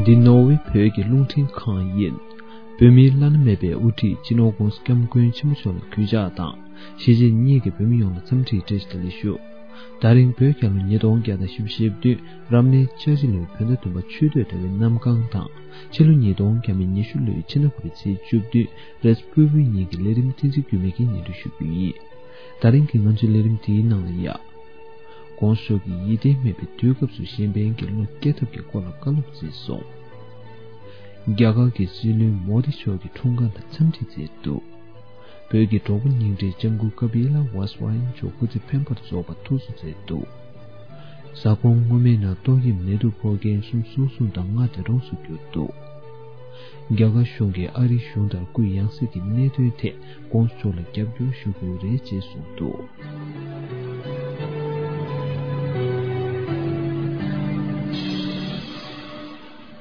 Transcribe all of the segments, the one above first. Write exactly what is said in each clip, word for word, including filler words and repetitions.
འདི་ནོར་ཝེ་བོད་ཀྱི་རླུང་འཕྲིན་ཁང་ཡིན། བོད་མིའི་བླ་ན་མེད་པའི་དབུ་ཁྲིད་སྤྱི་ནོར་༧གོང་ས་༧སྐྱབས་མགོན་ཆེན་པོ་མཆོག་ལ་གུས་ཕྱག་དང་། གཞིས་བྱེས་གཉིས་ཀྱི་བོད་མི་ཡོངས་ལ་འཚམས་འདྲིའི་བཀྲ་ཤིས་བདེ་ལེགས་ཞུ། ད་རིང་བོད་རྒྱལ་ལོ་ཉིས་སྟོང་བརྒྱ་དང་བཞི་བཅུ་ཞེ་བདུན་རབ་གནས་འཆར་གཞི་ལོའི་བོད་ཟླ་བདུན་པ་ཆུ་སྟོད་ཟླ་བའི་གནམ་གང་དང་། ཕྱི་ལོ་ཉིས་སྟོང་བརྒྱ་མེད་ཉི་ཤུ་ལོའི་ཕྱི་ཟླ་དགུ་པའི་ཚེས་བཅུ་བདུན་རེས་ཕུར་བུའི་ཉིན་གྱི་ལས་རིམ་བསྟན་འཛིན་རྒྱུད་སྨད་ཀྱིས་སྙན་སྒྲོན་ཞུ་རྒྱུ་ཡིན། ད་རིང་གི་ང་ཚོའི་ལས་རིམ་དེའི་ནང་ལ་ཡ། ༸གོང་ས་མཆོག་གིས་ཡིད་བརྟན་མེད་པའི་དུས་སྐབས་སུ་གཞན་ཕན་གྱི་བློ་བསྐྱེད་ཐབས་ཀྱི་སྐོར་ལ་བཀའ་སློབ་སྩལ་སོང་། རྒྱ་གར་གྱི་སྲིད་བློན་མོ་དི་མཆོག་གིས་འཁྲུངས་སྐར་ལ་འཚམས་འདྲི་མཛད་འདུག་བོད་ཀྱི་གྲོགས་པོ་རྙིང་གྲས་ལྕམ་སྐུ་ཀ་པི་ལ་ཝཱས་ཝཱ་ཡན་མཆོག་སྐུ་ཚེ་འཕེལ་བར་རྫོགས་པར་ཐུགས་གསོ་མཛད་འདུག་གཟའ་འཁོར་སྔོན་མའི་ནང་ཏོག་དབྱིབས་ནད་དུག་ཕོག་མཁན་སུམ་ཅུ་སོ་གསུམ་དང་ལྔ་འདས་གྲོངས་སུ་གྱུར་འདུག་རྒྱ་གར་གཞུང་གིས་ཨ་རིའི་གཞུང་ལྟར་སྐུའི་ཡང་སྲིད་ཀྱི་གནད་དོན་ཐད་༸གོང་ས་མཆོག་ལ་རྒྱབ་སྐྱོར་ཞུ་དགོས་རེད་ཅེས་གསུངས་འདུག་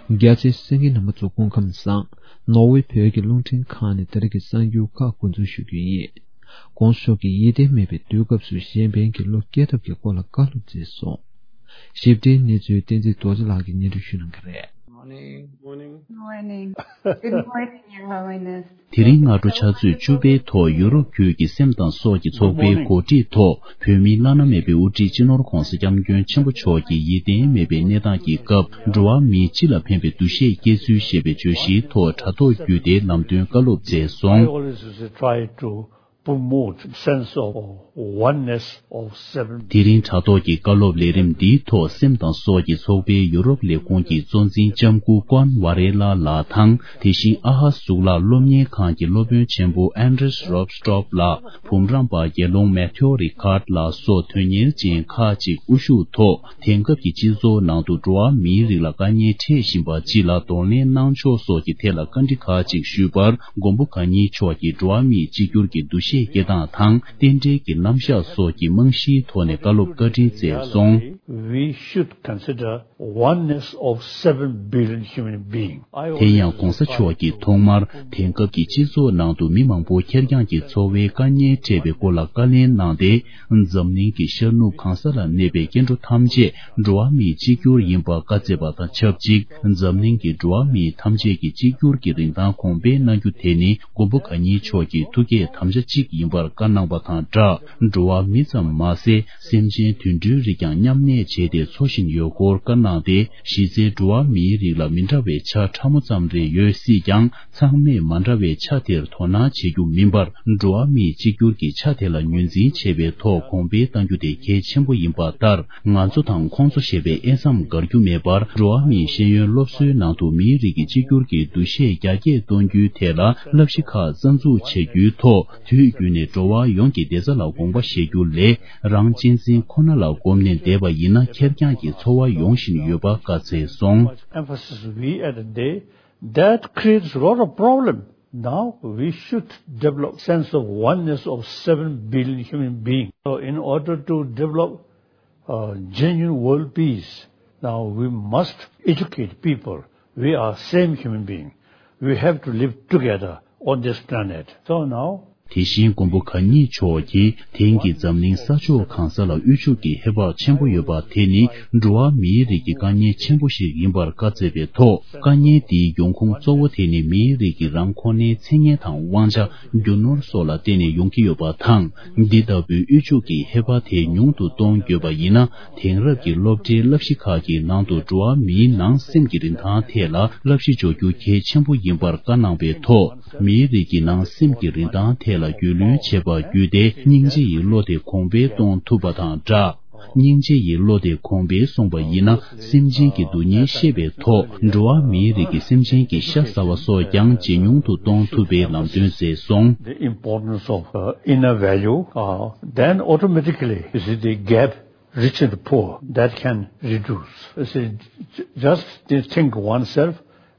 རྒྱ་ཆེའི་གསན་མཁན་རྣམ་པ་ཚོ་སྐུ་ཁམས་བཟང་། ནོར་ཝེ་བོད་ཀྱི་རླུང་འཕྲིན་ཁང་ནས་ད་རེས་ཀྱི་གསར་འགྱུར་ཁག་འགོ་འཛུགས་ཞུ་རྒྱུ་ཡིན། ༸གོང་ས་མཆོག་གིས་ཡིད་བརྟན་མེད་པའི་དུས་སྐབས་སུ་གཞན་ཕན་གྱི་བློ་བསྐྱེད་ཐབས་ཀྱི་སྐོར་ལ་བཀའ་སློབ་མཛད་སོང་། ཞིབ་ཕྲའི་གནས་ཚུལ་བསྟན་འཛིན་རྡོ་རྗེ་ལགས་ཀྱིས་སྙན་སྒྲོན་ཞུ་གནང་གི་རེད། Morning. Morning. Good morning, Your Highness. དེ་རིང་སྔ་དྲོ་ཕྱག་ཚོད་བཅུ་པའི་ཐོག་ཡུ་རོབ་ཁུལ་གྱི་སེམས་དང་སྲོག་གི་ཚོགས་པའི་གོ་སྒྲིག་ཐོག་བོད་མིའི་བླ་ན་མེད་པའི་དབུ་ཁྲིད་སྤྱི་ནོར་༸གོང་ས་༸སྐྱབས་མགོན་ཆེན་པོ་མཆོག་གི་ཡིད་བརྟན་མེད་པའི་གནས་སྟངས་ཀྱི་སྐབས་འགྲོ་བ་མིའི་སྤྱི་ལ་ཕན་པའི་འདུ་ཤེས་སྐྱེ་ཚུལ་ཞེས་པའི་བརྗོད་གཞིའི་ཐོག་དྲ་ཐོག་བརྒྱུད་དེ་ལམ་སྟོན་བཀའ་སློབ་མཛད་སོང་། I always try to promote sense of oneness of seven. དེ་རིང་དྲ་ཐོག་གི་བཀའ་སློབ་ལས་རིམ་འདིའི་ཐོག་སེམས་དང་སྲོག་གི་ཚོགས་པའི་ཡུ་རོབ་ལས་ཁུངས་ཀྱི་གཙོ་འཛིན་ལྕམ་སྐུ་ཀོན་ཝ་རེ་ལ་ལགས་དང་། དེ་བཞིན་ཨ་ཧ་གཙུག་ལག་སློབ་གཉེར་ཁང་གི་སློབ་དཔོན་ཆེན་པོ་ཨན་ཌྲེས་རོབ་སི་ཊོབ་ལགས། འབུམ་རམས་པ་དགེ་སློང་མེ་ཐེའོ་རི་ཁཱར་ལགས་སོགས་དོན་གཉེར་ཅན་ཁག་ཅིག་དབུ་བཞུགས་ཐོག་དེང་སྐབས་ཀྱི་སྤྱི་ཚོགས་ནང་དུ་འགྲོ་བ་མིའི་རིགས་ལ་དཀའ་ངལ་འཕྲད་བཞིན་པ་སྤྱི་ལ་གདོང་ལེན་གནང་ཕྱོགས་སོགས་ཀྱི་ཐད་ལ་བཀའ་འདྲི་ཁག་ཅིག་ཞུས་པར། མགོན་པོ་གང་ཉིད་མཆོག་གིས་འགྲོ་བ་མིའི་གཅིག་གྱུར་གྱི་འདུ་ཤེས་སྐྱེ་སྟངས་དང་། རྟེན་འབྲེལ་གྱི་རྣམ་གཞག་སོགས་ཀྱི་རྨང་གཞིའི་ཐོག་ནས་བཀའ་སློབ་བཀའ་འདྲི་མཛད་སོང་། We should consider oneness of seven billion human beings. དེ་ཡང་༸གོང་ས་མཆོག་གིས་ཐོག་མར་དེང་སྐབས་ཀྱི་སྤྱི་ཚོགས་ནང་དུ་མི་མང་པོ་ཁེར་རྐྱང་གི་འཚོ་བའི་དཀའ་ངལ་འཕྲད་པའི་སྐོར་ལ་བཀའ་ལན་གནང་སྟེ། འཛམ་གླིང་གི་ཤར་ནུབ་གང་ས་ལ་གནས་པའི་སྐྱེ་འགྲོ་ཐམས་ཅད་འགྲོ་བ་མིའི་གཅིག་གྱུར་ཡིན་པ་བཀའ་སྩལ་བ་དང་ཆབས་ཅིག་འཛམ་གླིང་གི་འགྲོ་བ་མི་ཐམས་ཅད་ཀྱི་གཅིག་གྱུར་གྱི་རིན་ཐང་གོང་སྤེལ་གནང་རྒྱུ་དེ་ནི་མགོན་པོ་གང་ཉིད་མཆོག་གི་ཐུགས་བསྐྱེད་དམ་བཅའ་གཅིག་ཡིན་པར་བཀའ་གནང་བ་དང་སྦྲགས། འགྲོ་བ་མི་ཙམ་མ་ཟད། སེམས་ཅན་དུད་འགྲོའི་རིགས་ཀྱང་མཉམ་གནས་བྱས་ཏེ་འཚོ་བཞིན་ཡོད་སྐོར་བཀའ་གནང་སྟེ། གཞི་རྩའི་འགྲོ་བ་མིའི་རིགས་ལ་མི་འདྲ་བའི་ཆ་ཕྲ་མོ་ཙམ་རེ་ཡོད་སྲིད་ཀྱང་། ཚང་མས་མ་འདྲ་བའི་ཆ་དེར་དོ་སྣང་བྱེད་རྒྱུ་མིན་པར། འགྲོ་བ་མིའི་གཅིག་གྱུར་གྱི་ཆ་དེ་ལ་ངོས་འཛིན་བྱེད་པའི་ཐོག་གོང་འཕེལ་གཏང་རྒྱུ་དེ་གལ་ཆེན་པོ་ཡིན་པ་ལྟར། ང་ཚོ་དང་ཁོང་ཚོ་ཞེས་པའི་དབྱེ་མཚམས་དགར་རྒྱུ་མེད་པར། འགྲོ་བ་མིའི་ཤེས་ཡོན་སློབ་གསོའི་ནང་དུ་མིའི་རིགས་ཀྱི་གཅིག་གྱུར་གྱི་འདུ་ཤེས་རྒྱ་སྐྱེད་གཏོང་རྒྱུའི་ཐད་ལ་བསླབ་གཞི་ཁག་རྩ་འཛུགས་བྱེད་རྒྱུའི་ཐོག་དུས་རྒྱུན་ནས་འགྲོ་བ་ཡོངས་ཀྱི་བདེ་རྩ་ལ་དགོངས་པ་བཞེས་རྒྱུ་ལས། རང་གཅེས་འཛིན་ཁོ་ན་ལ་བསྒོམས་ནས་བསྡད་པ་ཡིན་ན། ཁེར་རྐྱང་གི་འཚོ་བ་ཡོང་བཞིན་ཡོད་པ་བཀའ་སྩལ་སོང་། Emphasis we at the day that creates a lot of problem. Now we should develop sense of oneness of seven billion human beings. So in order to develop uh, genuine world peace, now we must educate people. We are same human being. We have to live together on this planet. So now དེ་བཞིན་མགོན་པོ་གང་ཉིད་མཆོག་གིས་དེང་གི་འཛམ་གླིང་ས་ཕྱོགས་གང་ས་ལ་དབུལ་ཕྱུག་གི་ཧེ་བག་ཆེན་པོ་ཡོད་པ་དེ་ནི་འགྲོ་བ་མིའི་རིགས་ཀྱི་དཀའ་ངལ་ཆེན་པོ་ཞིག་ཡིན་པར་བཀའ་སྩལ་བའི་ཐོག་དཀའ་ངལ་འདིའི་ཡོང་ཁུངས་གཙོ་བོ་དེ་ནི་མིའི་རིགས་ཀྱི་རང་ཁོ་ནའི་མཚན་སྙན་དང་དབང་ཆ་རྒྱུ་ནོར་སོགས་ལ་བརྟེན་ནས་ཡོང་གི་ཡོད་པ་དང་། འདི་ལྟ་བུའི་དབུལ་ཕྱུག་གི་ཧེ་བག་དེ་ཉུང་དུ་གཏོང་དགོས་པ་ཡིན་ན། དེང་རབས་ཀྱི་སློབ་གྲྭའི་བསླབ་གཞི་ཁག་གི་ནང་དུ་འགྲོ་བ་མིའི་ནང་སེམས་ཀྱི་རིན་ཐང་ཐད་ལ་བསླབ་གཞི་འཇོག་རྒྱུ་གལ་ཆེན་པོ་ཡིན་པར་བཀའ་གནང་བའི་ཐོག་མིའི་རིགས་ཀྱི་ནང་སེམས་ཀྱི་རིན་ཐང་ཐད་ལ་རྒྱུས་ལོན་བྱེད་པ་བརྒྱུད་དེ། སྙིང་རྗེ་ཡི་བློ་དེ་གོང་འཕེལ་གཏོང་ཐུབ་པ་དང་སྦྲགས། སྙིང་རྗེ་ཡི་བློ་དེ་གོང་འཕེལ་སོང་བ་ཡིན་ན། སེམས་ཅན་གྱི་སྡུག་བསྔལ་ཤེས་པའི་ཐོག་འགྲོ་བ་མིའི་རིགས་ཀྱི་སེམས་ཅན་གྱི་ཤ་ཟ་བ་སོགས་ཀྱང་ཇེ་ཉུང་དུ་གཏོང་ཐུབ་པའི་ལམ་སྟོན་མཛད་སོང་། The importance of uh, inner value, uh, then automatically, you see, the gap rich and poor that can reduce. You see, j- just to think oneself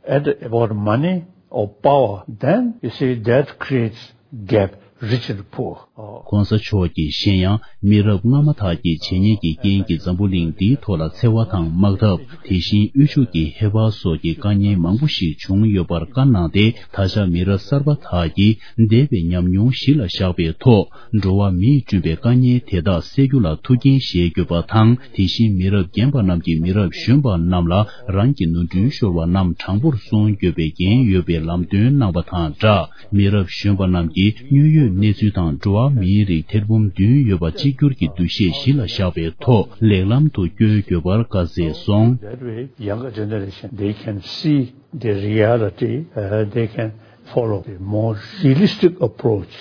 at about money or power, then you see that creates gap rich and poor. གོང་ས་མཆོག་གིས་གཞན་ཡང་མི་རབས་སྔ་མ་དག་གི་བྱས་ཉེས་ཀྱི་རྐྱེན་གྱིས་འཛམ་བུ་གླིང་འདིའི་ཐོག་ལ་འཚེ་བ་དང་དམག་འཐབ། དེ་བཞིན་དབུལ་ཕྱུག་གི་ཧེ་བག་སོགས་ཀྱི་དཀའ་ངལ་མང་པོ་ཞིག་བྱུང་ཡོད་པར་བཀའ་གནང་སྟེ། ད་ཆ་མི་རབས་གསར་པ་དག་གིས་འདས་པའི་ཉམས་མྱོང་གཞི་ལ་བཞག་པའི་ཐོག་འགྲོ་བ་མིས་བསྐྲུན་པའི་དཀའ་ངལ་དེ་དག་སེལ་རྒྱུ་ལ་ཐུགས་འགན་བཞེས་དགོས་པ་དང་། དེ་བཞིན་མི་རབས་རྒན་པ་རྣམས་ཀྱིས་མི་རབས་གཞོན་པ་རྣམས་ལ་རང་གི་ནོར་འཁྲུལ་ཤོར་བ་རྣམས་དྲང་པོར་སྲུང་དགོས་པའི་འགན་ཡོད་པའི་ལམ་སྟོན་གནང་བ་དང་སྦྲགས། མི་རབས་གཞོན་པ་རྣམས་ཀྱིས་དངོས་ཡོད་གནས་ཚུལ་དང་འགྲོ་བ་མིའི་རིགས་ཐེར་འབུམ་བདུན་ཡོད་པ་གཅིག་གྱུར་གྱི་འདུ་ཤེས་གཞི་ལ་བཞག་པའི་ཐོག་ལེགས་ལམ་དུ་བསྐྱོད་དགོས་པར་བཀའ་སྩལ་སོང་། That way, younger generation, they can see the reality, uh, they can follow the more realistic approach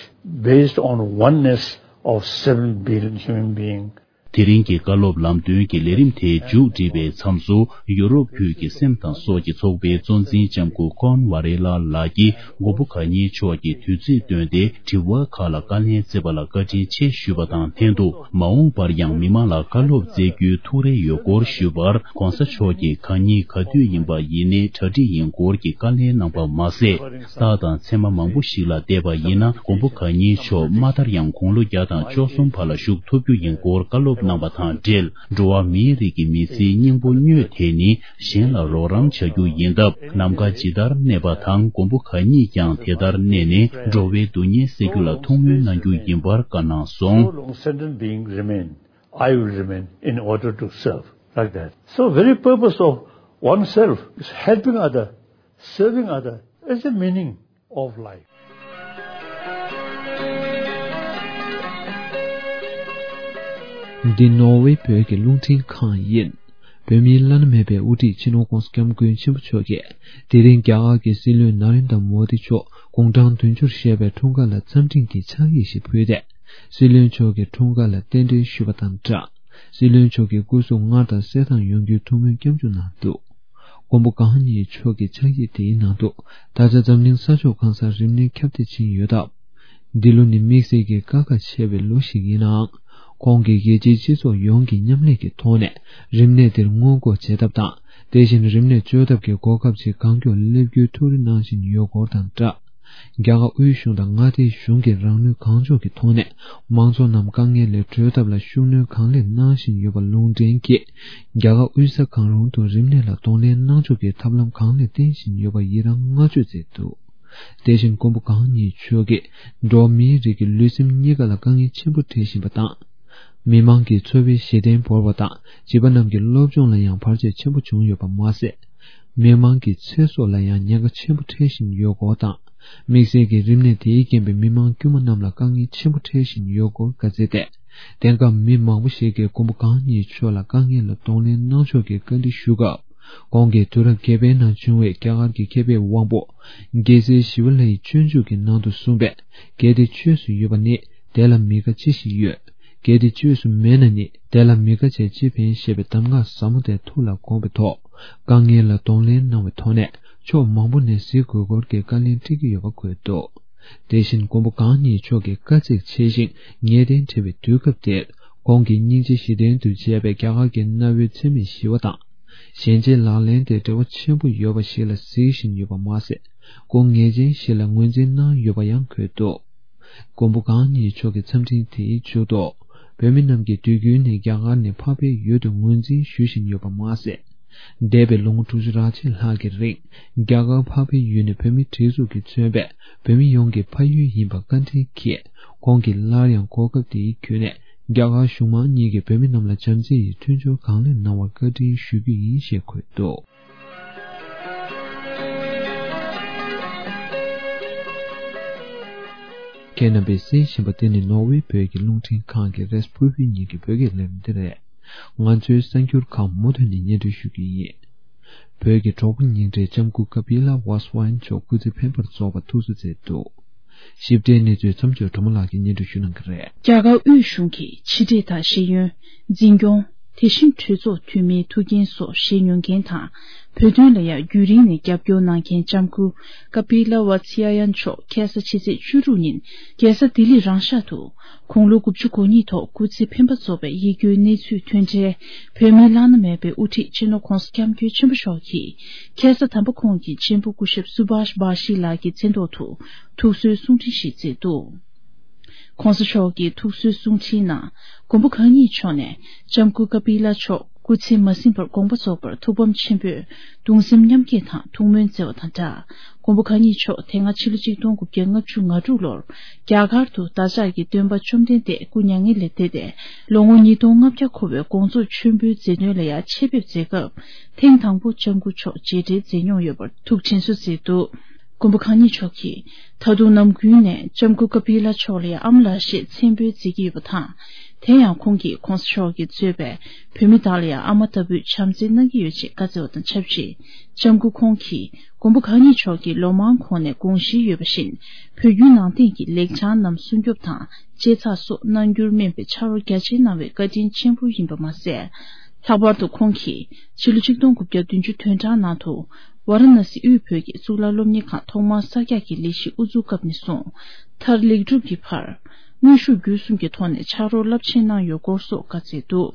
based on oneness of seven billion human beings. དེ་རིང་གི་བཀའ་སློབ་ལམ་སྟོན་གྱི་ལས་རིམ་དེ་མཇུག་སྒྲིལ་བའི་མཚམས་སུ། ཡུ་རོབ་ཁུལ་གྱི་སེམས་དང་སྲོག་གི་ཚོགས་པའི་གཙོ་འཛིན་ལྕམ་སྐུ་ཀོན་ཝ་རེ་ལ་ལགས་ཀྱིས་མགོན་པོ་གང་ཉིད་མཆོག་གི་དུས་ཚིགས་བཏོན་ཏེ་དྲི་བ་ཁག་ལ་བཀའ་ལན་བསྩལ་བ་ལ་བཀའ་དྲིན་ཆེ་ཞུས་པ་དང་ལྷན་དུ། མ་འོངས་པར་ཡང་མི་མང་ལ་བཀའ་སློབ་སྩལ་རྒྱུའི་ཐུགས་རེ་ཡོད་སྐོར་ཞུས་པར། གོང་ས་མཆོག་གིས་གང་ཉིད་ག་དུས་ཡིན་པ་ཡིན་ནའི་གྲ་སྒྲིག་ཡིན་སྐོར་གྱི་བཀའ་ལན་གནང་པ་མ་ཟད། རྟགས་དང་མཚན་མ་མང་པོ་ཞིག་ལ་བལྟས་པ་ཡིན་ན། མགོན་པོ་གང་ཉིད་མཆོག་མ་མཐར་ཡང་དགུང་ལོ་བརྒྱ་དང་བཅུ་གསུམ་བར་ལ་བཞུགས་ཐུབ་རྒྱུ་ཡིན་སྐོར་བཀའ་སློབ་གནང་བ་དང་འབྲེལ། འགྲོ་བ་མིའི་རིགས་ཀྱི་མི་ཚེའི་སྙིང་པོ་སྨྱོས་དེ་ནི་གཞན་ལ་རོགས་རམ་བྱ་རྒྱུ་ཡིན་སྟབས། ནམ་མཁའ་ཇི་ལྟར་གནས་པ་དང་། མགོན་པོ་གང་ཉིད་ཀྱང་དེ་ལྟར་གནས་ནས། འགྲོ་བའི་སྡུག་བསྔལ་སེལ་རྒྱུ་ལ་ཐུགས་སྨོན་གནང་རྒྱུ་ཡིན་པར་བཀའ་གནང་སོང་། So long sentient being remain, I will remain in order to serve, like that. So very purpose of oneself is helping other, serving other is the meaning of life. འདི་ནོར་ཝེ་བོད་ཀྱི་རླུང་འཕྲིན་ཁང་ཡིན། བོད་མིའི་བླ་ན་མེད་པའི་དབུ་ཁྲིད་སྤྱི་ནོར་༧གོང་ས་༧སྐྱབས་མགོན་ཆེན་པོ་མཆོག་གིས་དེ་རིང་རྒྱ་གར་གྱི་སྲིད་བློན་ན་རེན་དྲ་མོ་དི་མཆོག་དགུང་གྲངས་བདུན་ཅུར་བཞེས་པའི་འཁྲུངས་སྐར་ལ་འཚམས་འཕྲིན་གྱི་ཕྱག་ཡིག་ཞིག་ཕུལ་ཏེ། སྲིད་བློན་མཆོག་གི་འཁྲུངས་སྐར་ལ་རྟེན་འབྲེལ་ཞུས་པ་དང་སྦྲགས། སྲིད་བློན་མཆོག་གི་སྐུ་གཟུགས་སྔར་དང་གསལ་ཐང་ཡོང་རྒྱུའི་ཐུགས་སྨོན་སྐྱབས་འཇུག་གནང་འདུག། མགོན་པོ་གང་ཉིད་མཆོག་གི་ཕྱག་ཡིག་དེའི་ནང་དུ། ད་ཆ་འཛམ་གླིང་ས་ཕྱོགས་གང་སར་རིམས་ནད་ཁྱབ་གདལ་ཕྱིན་ཡོད་སྟབས། འདི་ལོ་ནི་དམིགས་བསལ་གྱི་དཀའ་ཁག་ཆེ་བའི་ལོ་ཞིག་ཡིན་ནའང་། ཁོང་གིས་རྒྱལ་སྤྱིའི་སྤྱི་ཚོགས་ཡོངས་ཀྱི་མཉམ་ལས་ཀྱི་ཐོག་ནས། རིམས་ནད་འདིར་སྔོན་འགོག་བྱེད་ཐབས་དང་། དེ་བཞིན་རིམས་ནད་བཅོས་ཐབས་ཀྱི་གོ་སྐབས་ཆེས་གང་མགྱོགས་སླེབས་རྒྱུའི་ཐུགས་རེ་གནང་བཞིན་ཡོད་སྐོར་དང་སྦྲགས། རྒྱ་གར་དབུས་གཞུང་དང་མངའ་སྡེའི་གཞུང་གིས་རང་ནུས་གང་ལྕོགས་ཀྱི་ཐོག་ནས། མང་ཚོགས་རྣམས་དཀའ་ངལ་ལས་གྲོལ་ཐབས་ལ་ཤུགས་སྣོན་གང་ལེགས་གནང་བཞིན་ཡོད་པ་ལུང་འདྲེན་གྱིས། རྒྱ་གར་དབུས་ས་གང་རུང་དུ་རིམས་ནད་ལ་གདོང་ལེན་གནང་ཕྱོགས་ཀྱི་ཐབས་ལམ་གང་ལེགས་བསྟེན་བཞིན་ཡོད་པར་ཡི་རངས་བསྔགས་བརྗོད་མཛད་འདུག། དེ་བཞིན་མགོན་པོ་གང་ཉིད་མཆོག་གིས་འགྲོ་བ་མིའི་རིགས་ཀྱི་ལུས་སེམས་གཉིས་ཀ་ལ་དཀའ་ངལ་ཆེན་པོ་འཕྲད་བཞིན་པ་དང་། མི་མང་གི་འཚོ་བའི་གཞི་རྟེན་བོར་བ་དང་བྱིས་པ་རྣམས་ཀྱི་སློབ་སྦྱོང་ལ་ཡང་བར་ཆད་ཆེན་པོ་བྱུང་ཡོད་པ་མ་ཟད། མི་མང་གི་ཚེ་སྲོག་ལ་ཡང་ཉེན་ཁ་ཆེན་པོ་འཕྲད་བཞིན་ཡོད་སྐོར་དང་། དམིགས་བསལ་གྱི་རིམས་ནད་དེའི་རྐྱེན་པས་མི་མང་དཀྱུས་མ་རྣམས་ལ་དཀའ་ངལ་ཆེན་པོ་འཕྲད་བཞིན་ཡོད་སྐོར་བཀའ་སྩལ་ཏེ། དེང་སྐབས་མི་མང་པོ་ཞིག་གིས་མགོན་པོ་གང་ཉིད་མཆོག་ལ་དཀའ་ངལ་ལ་གདོང་ལེན་གནང་ཕྱོགས་ཀྱི་བཀའ་འདྲི་ཞུ་སྐབས། ཁོང་གིས་དུས་རབས་བརྒྱད་པའི་ནང་བྱུང་བའི་རྒྱ་གར་གྱི་མཁས་པའི་དབང་པོ། རྒྱལ་སྲས་ཞི་བ་ལྷའི་སྤྱོད་འཇུག་གི་ནང་དུ་གསུངས་པའི། གལ་ཏེ་བཅོས་སུ་ཡོད་པ་ནི། དེ་ལ་མི་དགའ་ཅི་ཞིག་ཡོད། གལ་ཏེ་བཅོས་སུ་མེད་ན་ནི། དེ་ལ་མི་དགའ་བྱས་ཅི་ཕན་ཞེས་པའི་གདམས་ངག་ཟབ་མོ་དེ་ཐུགས་ལ་དགོངས་པའི་ཐོག། དཀའ་ངལ་ལ་གདོང་ལེན་གནང་བའི་ཐོག་ནས་ཕྱོགས་མང་པོ་ནས་གཟིགས་དགོས་སྐོར་གྱི་བཀའ་ལན་སྤྲད་ཀྱི་ཡོད་པ་འཁོད་འདུག། དེ་བཞིན་མགོན་པོ་གང་ཉིད་མཆོག་གིས་དཀའ་ཚེགས་ཆེ་ཞིང་ངེས་གཏན་བྲལ་བའི་དུས་སྐབས་དེར། ཁོང་གིས་སྙིང་རྗེ་བཞི་ལྡན་དུ་བྱས་པའི་རྒྱ་གར་གྱི་གནའ་བོའི་འཚེ་མེད་ཞི་བ་དང་། གཞན་ཕྱིར་ལག་ལེན་དེ་འབྲེལ་བ་ཆེན་པོ་ཡོད་པ་ཞིག་ལ་གཟིགས་བཞིན་ཡོད་པ་མ་ཟད། སྐུ་ངལ་ཅན་ཞིག་ལ་ངོས་འཛིན་གནང་ཡོད་པ་ཡང་འཁོད་འདུག། མགོན་པོ་གང་ཉིད་མཆོག་གི་འཚམས་འཕྲིན་དེའི་མཇུག་ཏུ། བོད་མི་རྣམས་ཀྱིས་དུས་རྒྱུན་ནས་རྒྱ་གར་ནས་འཕགས་པའི་ཡུལ་དུ་ངོས་འཛིན་ཞུ་བཞིན་ཡོད་པ་མ་ཟད། འདས་པའི་ལོ་ངོ་དྲུག་ཅུ་རེ་གཅིག་ལྷག་གི་རིང་རྒྱ་གར་འཕགས་པའི་ཡུལ་ནས་བོད་མིའི་སྒྲིག་འཛུགས་ཀྱིས་མཚོན་པའི་བོད་མི་ཡོངས་ཀྱི་ཕ་ཡུལ་ཡིན་པ་བཀའ་དྲིན་གྱིས། ཁོང་གིས་སླར་ཡང་གོ་སྐབས་དེའི་བརྒྱུད་ནས་རྒྱ་གར་གཞུང་མང་གཉིས་ཀྱིས་བོད་མི་རྣམས་ལ་བྱམས་བརྩེ་ཡི་མཐུན་སྦྱོར་གང་ལེགས་གནང་བར་བཀའ་དྲིན་ཞུ་རྒྱུ་ཡིན་ཞེས་འཁོད་འདུག། ཁྱེད་རྣམ་པས་གསན་བཞིན་པ་འདི་ནི་ནོར་ཝེ་བོད་ཀྱི་རླུང་འཕྲིན་ཁང་གི་རེས་ཕུར་བུའི་ཉིན་གྱི་བོད་སྐད་ལས་རིམ་འདི་རེད། ང་ཚོའི་གསར་འགྱུར་ཁག་མུ་མཐུད་ནས་སྙན་སྒྲོན་ཞུ་རྒྱུ་ཡིན། བོད་ཀྱི་གྲོགས་པོ་ཉིང་ཁྲིའི་ལྕམ་སྐུ་ཀ་པི་ལ་ཝཱ་སི་ཝཱན་མཆོག་སྐུ་ཚེ་འཕེན་པར་རྫོགས་པ་ཐུགས་གསོ་མཛད་འདུག། ཞིབ་ཕྲའི་གནས་ཚུལ་མཚམས་སྦྱོར་གྲོགས་མོ་ལགས་ཀྱིས་སྙན་སྒྲོན་ཞུ་གནང་གི་རེད། རྒྱ་གར་དབུས་གཞུང་གི་ཕྱི་དྲིལ་དང་ཤེས་ཡོན། འཛིན་སྐྱོང་། དེ་བཞིན་གྲོས་ཚོགས་འཐུས་མིའི་ཐུགས་འགན་སོགས་བཞེས་མྱོང་མཁན་དང་། བོད་དོན་ལ་ཡང་རྒྱུན་རིང་ནས་རྒྱབ་སྐྱོར་གནང་མཁན་ལྕམ་སྐུ་ཀ་པི་ལ་ཝ་ཚི་ཡ་ཡན་མཆོག་ཁ་ས་ཕྱི་ཚེས་བཅུ་དྲུག་ཉིན་རྒྱལ་ས་ལྡི་ལི་རང་ཤག་ཏུ་དགུང་ལོ་དགུ་བཅུ་གོ་གཉིས་ཐོག་སྐུ་ཚེ་འཕེན་པ་རྫོགས་པའི་ཡིད་སྐྱོའི་གནས་ཚུལ་ཐོན་འཕྲལ་བོད་མིའི་བླ་ན་མེད་པའི་དབུ་ཁྲིད་སྤྱི་ནོར་༧གོང་ས་༧སྐྱབས་མགོན་ཆེན་པོ་མཆོག་གིས་ཁ་ས་དམ་པ་ཁོང་གི་གཅེན་པོ་སྐུ་ཞབས་སུ་བྷཱཤ་བྷ་ཤི་ལགས་ཀྱི་མཚན་ཐོག་ཏུ་ཐུགས་གསོའི་གསུང་འཕྲིན་ཞིག་བསྩལ་འདུག། ༸གོང་ས་མཆོག་གིས་ཐུགས་གསོའི་གསུང་འཕྲིན་ནང་། མགོན་པོ་གང་ཉིད་མཆོག་ནས་ལྕམ་སྐུ་ཀ་པི་ལ་མཆོག་སྐུ་ཚེ་མ་ཟིན་པར་དགོངས་པ་རྫོགས་པར་ཐུགས་ཕམ་ཆེན་པོས་གདུང་སེམས་མཉམ་སྐྱེད་དང་ཐུགས་སྨོན་བསྩལ་བ་དང་སྦྲགས། མགོན་པོ་གང་ཉིད་མཆོག་དེ་སྔ་ཕྱི་ལོ་ཆིག་སྟོང་དགུ་བརྒྱ་ལྔ་བཅུ་ང་དྲུག་ལོར་རྒྱ་གར་དུ་བདག་ཅག་གི་སྟོན་པ་བཅོམ་ལྡན་འདས་སྐུ་མྱ་ངན་ལས་འདས་ཏེ་ལོ་ངོ་ཉིས་སྟོང་ལྔ་བརྒྱ་འཁོར་བའི་དགོངས་རྫོགས་མཆོད་འབུལ་མཛད་དོན་ལ་ཡང་ཆེད་ཕེབས་མཛད་སྐབས་ཐེངས་དང་པོ་ལྕམ་སྐུ་མཆོག་མཇལ་འཕྲད་མཛད་མྱོང་ཡོད་པར་ཐུགས་དྲན་གསོ་མཛད་འདུག་མགོན་པོ་གང་ཉིད་མཆོག་གིས་ད་དུང་ནམ་རྒྱུན་ནས་ལྕམ་སྐུ་ཀ་པི་ལ་མཆོག་ལ་ཡང་ཨ་མ་ལགས་ཞེས་མཚན་འབོད་མཛད་ཀྱི་ཡོད་པ་དང་། དེ་ཡང་ཁོང་གིས་༸གོང་ས་མཆོག་གིས་གཙོས་པའི་བོད་མི་དག་ལ་ཡང་ཨ་མ་ལྟ་བུའི་བྱམས་བརྩེ་གནང་གི་ཡོད་ཅེས་བཀའ་སྩལ་བ་དང་ཆབས་ཅིག་ལྕམ་སྐུ་ཁོང་གིས་མགོན་པོ་གང་ཉིད་མཆོག་གིས་ལོ་མང་གོང་ནས་དགོངས་གཞི་ཡོད་པ་བཞིན་བོད་བརྒྱུད་ནང་བསྟན་གྱི་ལེགས་བྱང་རྣམས་སྲུང་སྐྱོབ་དང་སྤྱད་ཚགས་སོགས་གནང་རྒྱུར་སྨན་པའི་ཕྱག་རོགས་རྒྱ་ཆེ་གནང་བའི་བཀའ་དྲིན་ཆེན་པོ་ཡིན་པ་མ་ཟད། ལྷག་པར་དུ་ཁོང་གིས་ཕྱི་ལོ་ཆིག་སྟོང་དགུ་བརྒྱ་བདུན་ཅུ་དོན་གྲངས་ནང་དུ་ཝཱ་ར་ཎ་སི་དབུས་བོད་ཀྱི་གཙུག་ལག་སློབ་གཉེར་ཁང་ཐོག་མར་གསར་རྒྱག་གི་ལས་གཞི་དབུ་འཛུགས་སྐབས་ནས་བཟུང་མཐར་ལེགས་གྲུབ་ཀྱི་བར། དངོས་ཤུགས་བརྒྱུད་གསུམ་གྱི་ཐོག་ནས་ཕྱག་རོགས་རླབས་ཆེན་གནང་ཡོད་སྐོར་སོགས་བཀའ་སྩལ་འདུག་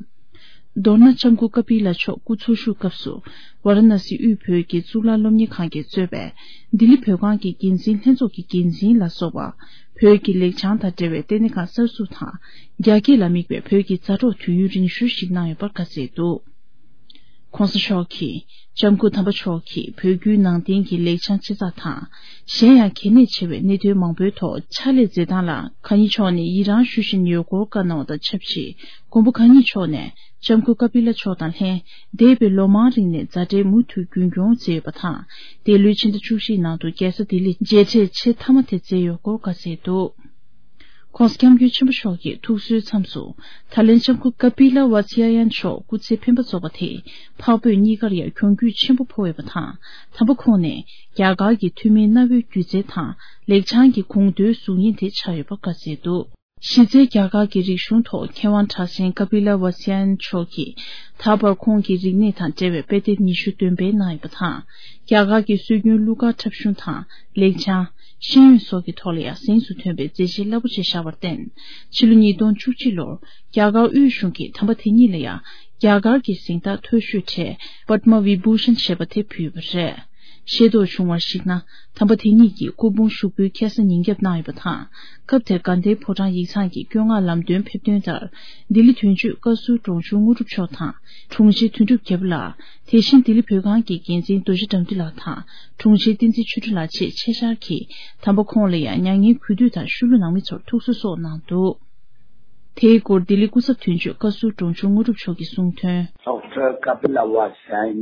མདོར་ན་ལྕམ་སྐུ་ཀ་པི་ལ་མཆོག་སྐུ་འཚོ་བཞུགས་སྐབས་སུ་ཝཱ་ར་ཎ་སི་དབུས་བོད་ཀྱི་གཙུག་ལག་སློབ་གཉེར་ཁང་གིས་གཙོས་པའི་ལྡི་ལི་བོད་ཁང་གི་འགན་འཛིན་ལྷན་ཚོགས་ཀྱི་འགན་འཛིན་ལ་སོགས་པ། བོད་ཀྱི་ལེགས་བྱང་དང་འབྲེལ་བའི་ལྟེ་གནས་ཁང་གསར་འཛུགས་དང་། རྒྱ་སྐད་ལ་དམིགས་པའི་བོད་ཀྱི་མཛའ་གྲོགས་དུས་ཡུན་རིང་ཤོས་ཤིག་གནང་ཡོད་པར་བཀའ་སྩལ་འདུག ༸གོང་ས་མཆོག་གིས་ལྕམ་སྐུ་དམ་པ་མཆོག་གིས་བོད་བརྒྱུད་ནང་བསྟན་གྱི་ལེགས་བྱང་ཅི་ཙག་དང་། གཞན་ཡང་གལ་གནད་ཆེ་བའི་གནད་དོན་མང་པོའི་ཐོག་ཕྱག་ལས་མཛད་སྟངས་ལ་གང་ཉིད་མཆོག་ནས་ཡི་རངས་ཞུ་བཞིན་ཡོད་སྐོར་བཀའ་གནང་བ་དང་ཆབས་ཅིག་མགོན་པོ་གང་ཉིད་མཆོག་ནས་ལྕམ་སྐུ་ཀ་པི་ལ་མཆོག་དང་ལྷན་འདས་པའི་ལོ་མང་རིང་ནས་མཛའ་འབྲེལ་མུ་མཐུད་རྒྱུན་སྐྱོང་མཛད་ཡོད་པ་དང་། འདས་ལོའི་ཕྱི་ཟླ་བཅུ་གཅིག་ནང་དུ་རྒྱལ་ས་ལྡི་ལི་མཇལ་འཕྲད་ཆེས་མཐའ་མ་དེ་མཛད་ཡོད་སྐོར་བཀའ་སྩལ་འདུག ༸གོང་ས་༸སྐྱབས་མགོན་ཆེན་པོ་མཆོག་གིས་ཐུགས་གསོའི་མཚམས་སུ་ད་ལན་ལྕམ་སྐུ་ཀ་པི་ལ་ཝ་ཚི་ཡ་ཡན་མཆོག་སྐུ་ཚེ་འཕེན་པ་རྫོགས་པ་དེས་འཕགས་བོད་གཉིས་ཀར་ཡང་གྱོང་གུད་ཆེན་པོ་ཕོག་ཡོད་པ་དང་། དམ་པ་ཁོང་ནས་རྒྱ་གར་གྱི་ཐུན་མིན་གནའ་བོའི་སྒྱུ་རྩལ་དང་ལེགས་བྱང་གི་དགོངས་དོན་གཟུགས་བརྙན་དེ་ཆགས་ཡོད་པ་བཀའ་སྩལ་འདུག་གཞི་རྩའི་རྒྱ་གར་གྱི་རིག་གཞུང་ཐོག་མཁས་དབང་གྲགས་ཅན་ཀ་པི་ལ་ཝ་སི་ཡན་མཆོག་གིས་ད་བར་ཁོང་གི་རིག་གནས་དང་འབྲེལ་བའི་དཔེ་དེབ་ཉི་ཤུ་འདོན་སྤེལ་གནང་ཡོད་པ་དང་། རྒྱ་གར་གྱི་སྲོལ་རྒྱུན་གླུ་གར་འཁྲབ་གཞུང་དང་ལེགས་བྱང་། ཤེས་ཡོན་སོགས་ཀྱི་ཐོག་ལ་ཡང་གཟེངས་སུ་ཐོན་པའི་མཛད་རྗེས་རླབས་པོ་ཆེ་བཞག་པར་བརྟེན། ཕྱི་ལོ་ཉིས་སྟོང་བཅུ་གཅིག་ལོར་རྒྱ་གར་དབུས་གཞུང་གིས་དམ་པ་དེ་ཉིད་ལ་ཡང་རྒྱ་གར་གྱི་གཟེངས་རྟགས་མཐོ་ཤོས་གྲས་པདྨ་བི་བྷུ་ཤན་ཞེས་པ་དེ་ཕུལ་བ་རེད། ཤེས་རྟོགས་བྱུང་བར་གཞིགས་ན། དམ་པ་དེ་ཉིད་ཀྱིས་སྐུ་ཕུང་ཞུགས་འབུལ་ཁ་སང་ཉིན་རྒྱབ་གནང་ཡོད་པ་དང་། སྐབས་དེར་དགའ་ལྡན་ཕོ་བྲང་ཡིག་ཚང་གི་བཀོད་མངགས་ལམ་སྟོན་ཕེབས་དོན་ལྟར། ལྡི་ལི་དོན་གཅོད་བཀའ་ཟུར་འབྲོང་ཆུང་དངོས་གྲུབ་མཆོག་དང་། དྲུང་ཆེ་དོན་གྲུབ་རྒྱལ་པོ་ལགས། དེ་བཞིན་ལྡི་ལི་བོད་ཁང་གི་འགན་འཛིན་རྡོ་རྗེ་དགྲ་འདུལ་ལགས་དང་། དྲུང་ཆེ་བསྟན་འཛིན་ཆོས་སྒྲོན་ལགས་བཅས་ཆེད་བཅར་གྱིས། དམ་པ་ཁོང་ལ་ཡང་མྱ་ངན་གུས་འདུད་དང་ཤུལ་བུ་ནང་མི་ཚོར་ཐུགས་གསོ་སོགས་གནང་འདུག་དེའི་སྐོར་ལྡི་ལི་སྐུ་ཚབ་དོན་གཅོད་བཀའ་ཟུར་འབྲོང་ཆུང་དངོས་གྲུབ་མཆོག་གིས་གསུངས་དོན། ཌོག་ཊར་ཀ་པི་ལ་ཝ་སན་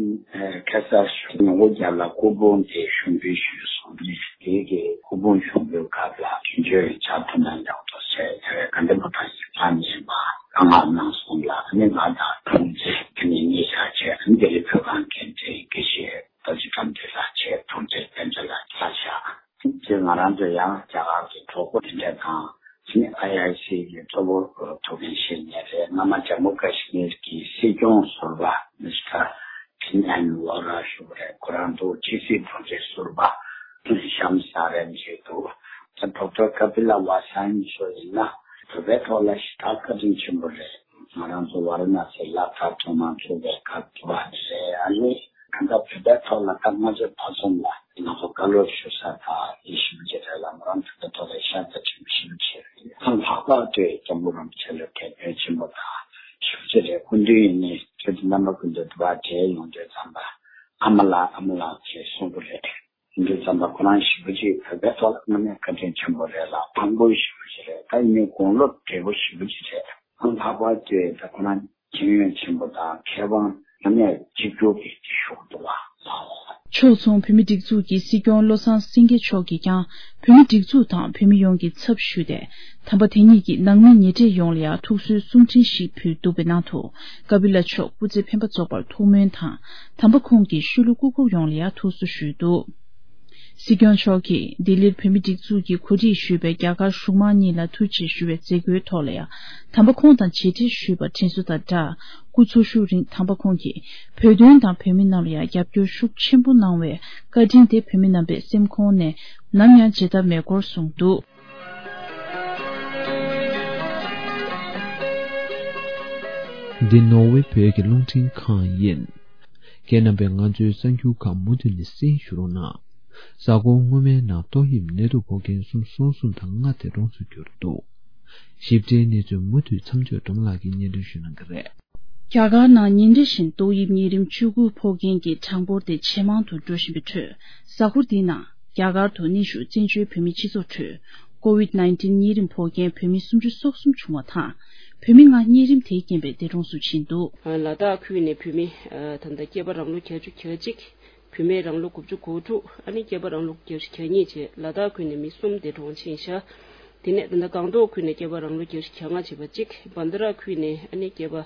ཁ་སང་ཉིན་གུང་རྒྱབ་ལ་སྐུ་ཕུང་དེ་ཞུགས་འབུལ་ཞུས་སོང་། དེ་གི་སྐུ་ཕུང་ཞུགས་འབུལ་སྐབས་ལ་དོན་གཅོད་བཅར་ཐུབ་ན་ཡག་ཐུག་ཟེར། དེ་བས་དགའ་ལྡན་ཕོ་བྲང་ཡིག་ཚང་ནས་མར་བཀའ་མངགས་གནང་སོང་ལ། ཨ་ནི་ང་དང་དྲུང་ཆེ་དེ་ནས་གཉིས་ཆ་བྱས། ཨ་ནི་ལྡི་ལི་བོད་ཁང་འགན་འཛིན་དགེ་བཤེས་རྡོ་རྗེ་དགྲ་འདུལ་ལགས་བྱས། དྲུང་ཆེ་བསྟན་འཛིན་ལགས་ཆ་བཞག་དེ་ང་རང་ཚོ་ཡང་རྒྱ་གར་གྱི་གྲོགས་པོ་དེ་འདྲ་དང་། ཨ་ནི་ཨའི་ཨའི་སི་གི་གཙོ་བོ་ཐུགས་འགན་བཞེས་མཁན་རེད། སྔ་མ་ཇམ་མུ་ཀ་ཤི་མིར་གྱི་སྲིད་སྐྱོང་ཟུར་པ་མི་སི་ཊར་ཁྲིན་ཨན་ཝོ་ར་ཞུ་གི་རེད། ཁོ་རང་འདུག་ཕྱི་སྲིད་དྲུང་ཆེ་ཟུར་པ་ཤམ་ས་རན་ཞིག་འདུག་ད་ཌོག་ཊར་ཀ་པི་ལ་ཝ་སན་མཆོག་ཡིན་ན་བོད་པའི་ཐོག་ལ་ཞེ་དྲག་བཀའ་དྲིན་ཆེན་པོ་རེད། ང་རང་ཚོ་ཝ་ར་ཎ་སི་ལ་དྭགས་ཐོག་མར་ཚུགས་པའི་སྐབས་དུ་བ་རེད། ཨ་ནི། གང་ལྟར་བོད་པའི་ཐོག་ལ་ད་སྔ་ཕྱི་བར་གསུམ་ལ་ང་ཚོ་བཀའ་སློབ་ཞུ་ས་དང་ཡེ་ཞུ་བ་ཅིག་རེད་ལ། མོ་རང་བོད་པའི་ཐོག་ལ་ཤ་ཚ་ཆེན་པོ་ཞེ་པོ་ཅིག་རེད། ཨ་ལྷག་པར་དུ་སྐྱབས་མགོན་རིན་པོ་ཆེ་ལ་དད་པ་ཆེན་པོ་དང་ཞེ་པོ་ཅིག་རེད། སྐུ་མདུན་ཡིན་ནའི་ཁྱོད་ཚོ་རྣམ་པ་ཀུན་ཏུ་དུ་བ་བགྲེས་ཡོང་དུས་ཙམ་པ་ཨ་མ་ལགས་ཨ་མ་ལགས་ཅེས་གསུང་གི་རེད། ཡིན་དུས་ཙམ་པ་ཁོ་རང་ཞེ་པོ་ཅིག་བོད་པའི་ཐོག་ལ་དངོས་གནས་བཀའ་དྲིན་ཆེན་པོ་རེད་ལ། དཔང་པོ་ཞེ་པོ་ཅིག་རེད། ད་ཡིན་ནའི་དགུང་ལོ་བགྲེས་པོ་ཞེ་པོ་ཅིག་རེད། ཨ་ལྷག་པར་དུ་ད་ཁོ་རང་མཁྱེན་ཡོན་ཆེན་པོ་དང་མཁས་དབང་རྣམ་གཉིས་གཅིག་གྱུར་གྱི་ཤོག་ཏུ་བ། ཕྱོགས་མཚུངས་བོད་མི་སྒྲིག་འཛུགས་ཀྱི་སྲིད་སྐྱོང་བློ་བཟང་སེང་གེ་མཆོག་གིས་ཀྱང་བོད་མི་སྒྲིག་འཛུགས་དང་བོད་མི་ཡོངས་ཀྱི་ཚབ་ཞུས་ཏེ། དམ་པ་དེ་ཉིད་ཀྱི་ནང་མི་ཉེ་འབྲེལ་ཡོངས་ལ་ཡང་ཐུགས་གསོའི་གསུང་འཕྲིན་ཞིག་ཕུལ་འདུག་པའི་ནང་དུ། ཀ་པི་ལ་མཆོག་སྐུ་ཚེ་འཕེན་པ་རྫོགས་པར་ཐུགས་སྨོན་དང་། དམ་པ་ཁོང་གི་ཤུལ་ལུས་སྐུ་འཁོར་ཡོངས་ལ་ཡང་ཐུགས་གསོ་ཞུས་འདུག་སྲིད་སྐྱོང་མཆོག་གིས་ལྡི་ལིར་བོད་མི་སྒྲིག་འཛུགས་ཀྱི་གོ་སྒྲིག་ཞུས་པའི་རྒྱ་གར་གཞུང་མང་གཉིས་ལ་ཐུགས་རྗེ་ཞུ་བའི་མཛད་སྒོའི་ཐོག་ལ་ཡང་། དམ་པ་ཁོང་དང་མཇལ་འཕྲད་ཞུས་པར་དྲན་གསོ་དང་སྦྲགས། སྐུ་འཚོ་བཞུགས་རིང་དམ་པ་ཁོང་གིས་བོད་དོན་དང་བོད་མི་རྣམས་ལ་ཡང་རྒྱབ་སྐྱོར་ཤུགས་ཆེན་པོ་གནང་བའི་བཀའ་དྲིན་དེ་བོད་མི་རྣམ་པའི་སེམས་ཁོང་ནས་ནམ་ཡང་བརྗེད་ཐབས་མེད་སྐོར་གསུངས་འདུག་འདི་ནོར་ཝེ་བོད་ཀྱི་རླུང་འཕྲིན་ཁང་ཡིན། ཁྱེད་རྣམ་པས་ང་ཚོའི་གསར་འགྱུར་ཁག་མུ་མཐུད་ནས་གསན་ཞུ་རོགས་གནང་། གཟའ་འཁོར་སྔོན་མའི་ནང་ཏོག་དབྱིབས་ནད་དུག་འགོག་མཁན་གསུམ་སོ་གསུམ་དང་ལྔ་དེ་གྲོངས་སུ་གྱུར་འདུག་ཞིབ་ཕྲའི་གནས་ཚུལ་མུ་མཐུད་མཚམས་སྦྱོར་སྒྲོལ་མ་ལགས་ཀྱིས་སྙན་སྒྲོན་ཞུ་གནང་གི་རེད། རྒྱ་གར་ནང་ཉིན་རེ་བཞིན་ཏོག་དབྱིབས་གཉན་རིམས་བཅུ་དགུ་ཕོག་མཁན་གྱི་གྲངས་འབོར་དེ་ཇེ་མང་དུ་འགྲོ་བཞིན་པའི་ཁྲོད། གཟའ་འཁོར་འདིའི་ནང་རྒྱ་གར་དུ་གནས་བཞུགས་བཙན་བྱོལ་བོད་མིའི་སྤྱི་ཚོགས་ཁྲོད་ཀོ་ཝིད་ནའིན་ཊིན་གཉན་རིམས་ཕོག་མཁན་བོད་མི་སུམ་ཅུ་སོ་གསུམ་བྱུང་བ་དང་། བོད་མི་ལྔ་གཉན་རིམས་དེས་རྐྱེན་པས་འདས་གྲོངས་སུ་ཕྱིན་འདུག། ལ་དྭགས་ཁུལ་ནས་བོད་མི་ད་ལྟ་སྐྱེས་པ་རང་ལོ་བརྒྱད་ཅུ་གྱ་གཅིག་བུད་མེད་རང་ལོ་དགུ་བཅུ་གོ་དྲུག་ཨ་ནི་སྐྱེས་པ་རང་ལོ་བརྒྱད་ཅུ་གྱ་གཉིས་བཅས་ལ་དྭགས་ཁུལ་ནས་མི་གསུམ་འདས་གྲོངས་ཕྱིན་ཤག། དེ་ནས་ད་ལྟ་སྒང་ཏོག་ཁུལ་ནས་སྐྱེས་པ་རང་ལོ་བརྒྱད་ཅུ་གྱ་ལྔ་བྱས་པ་གཅིག། བན་དྷ་ར་ཁུལ་ནས་ཨ་ནི་སྐྱེས་པ་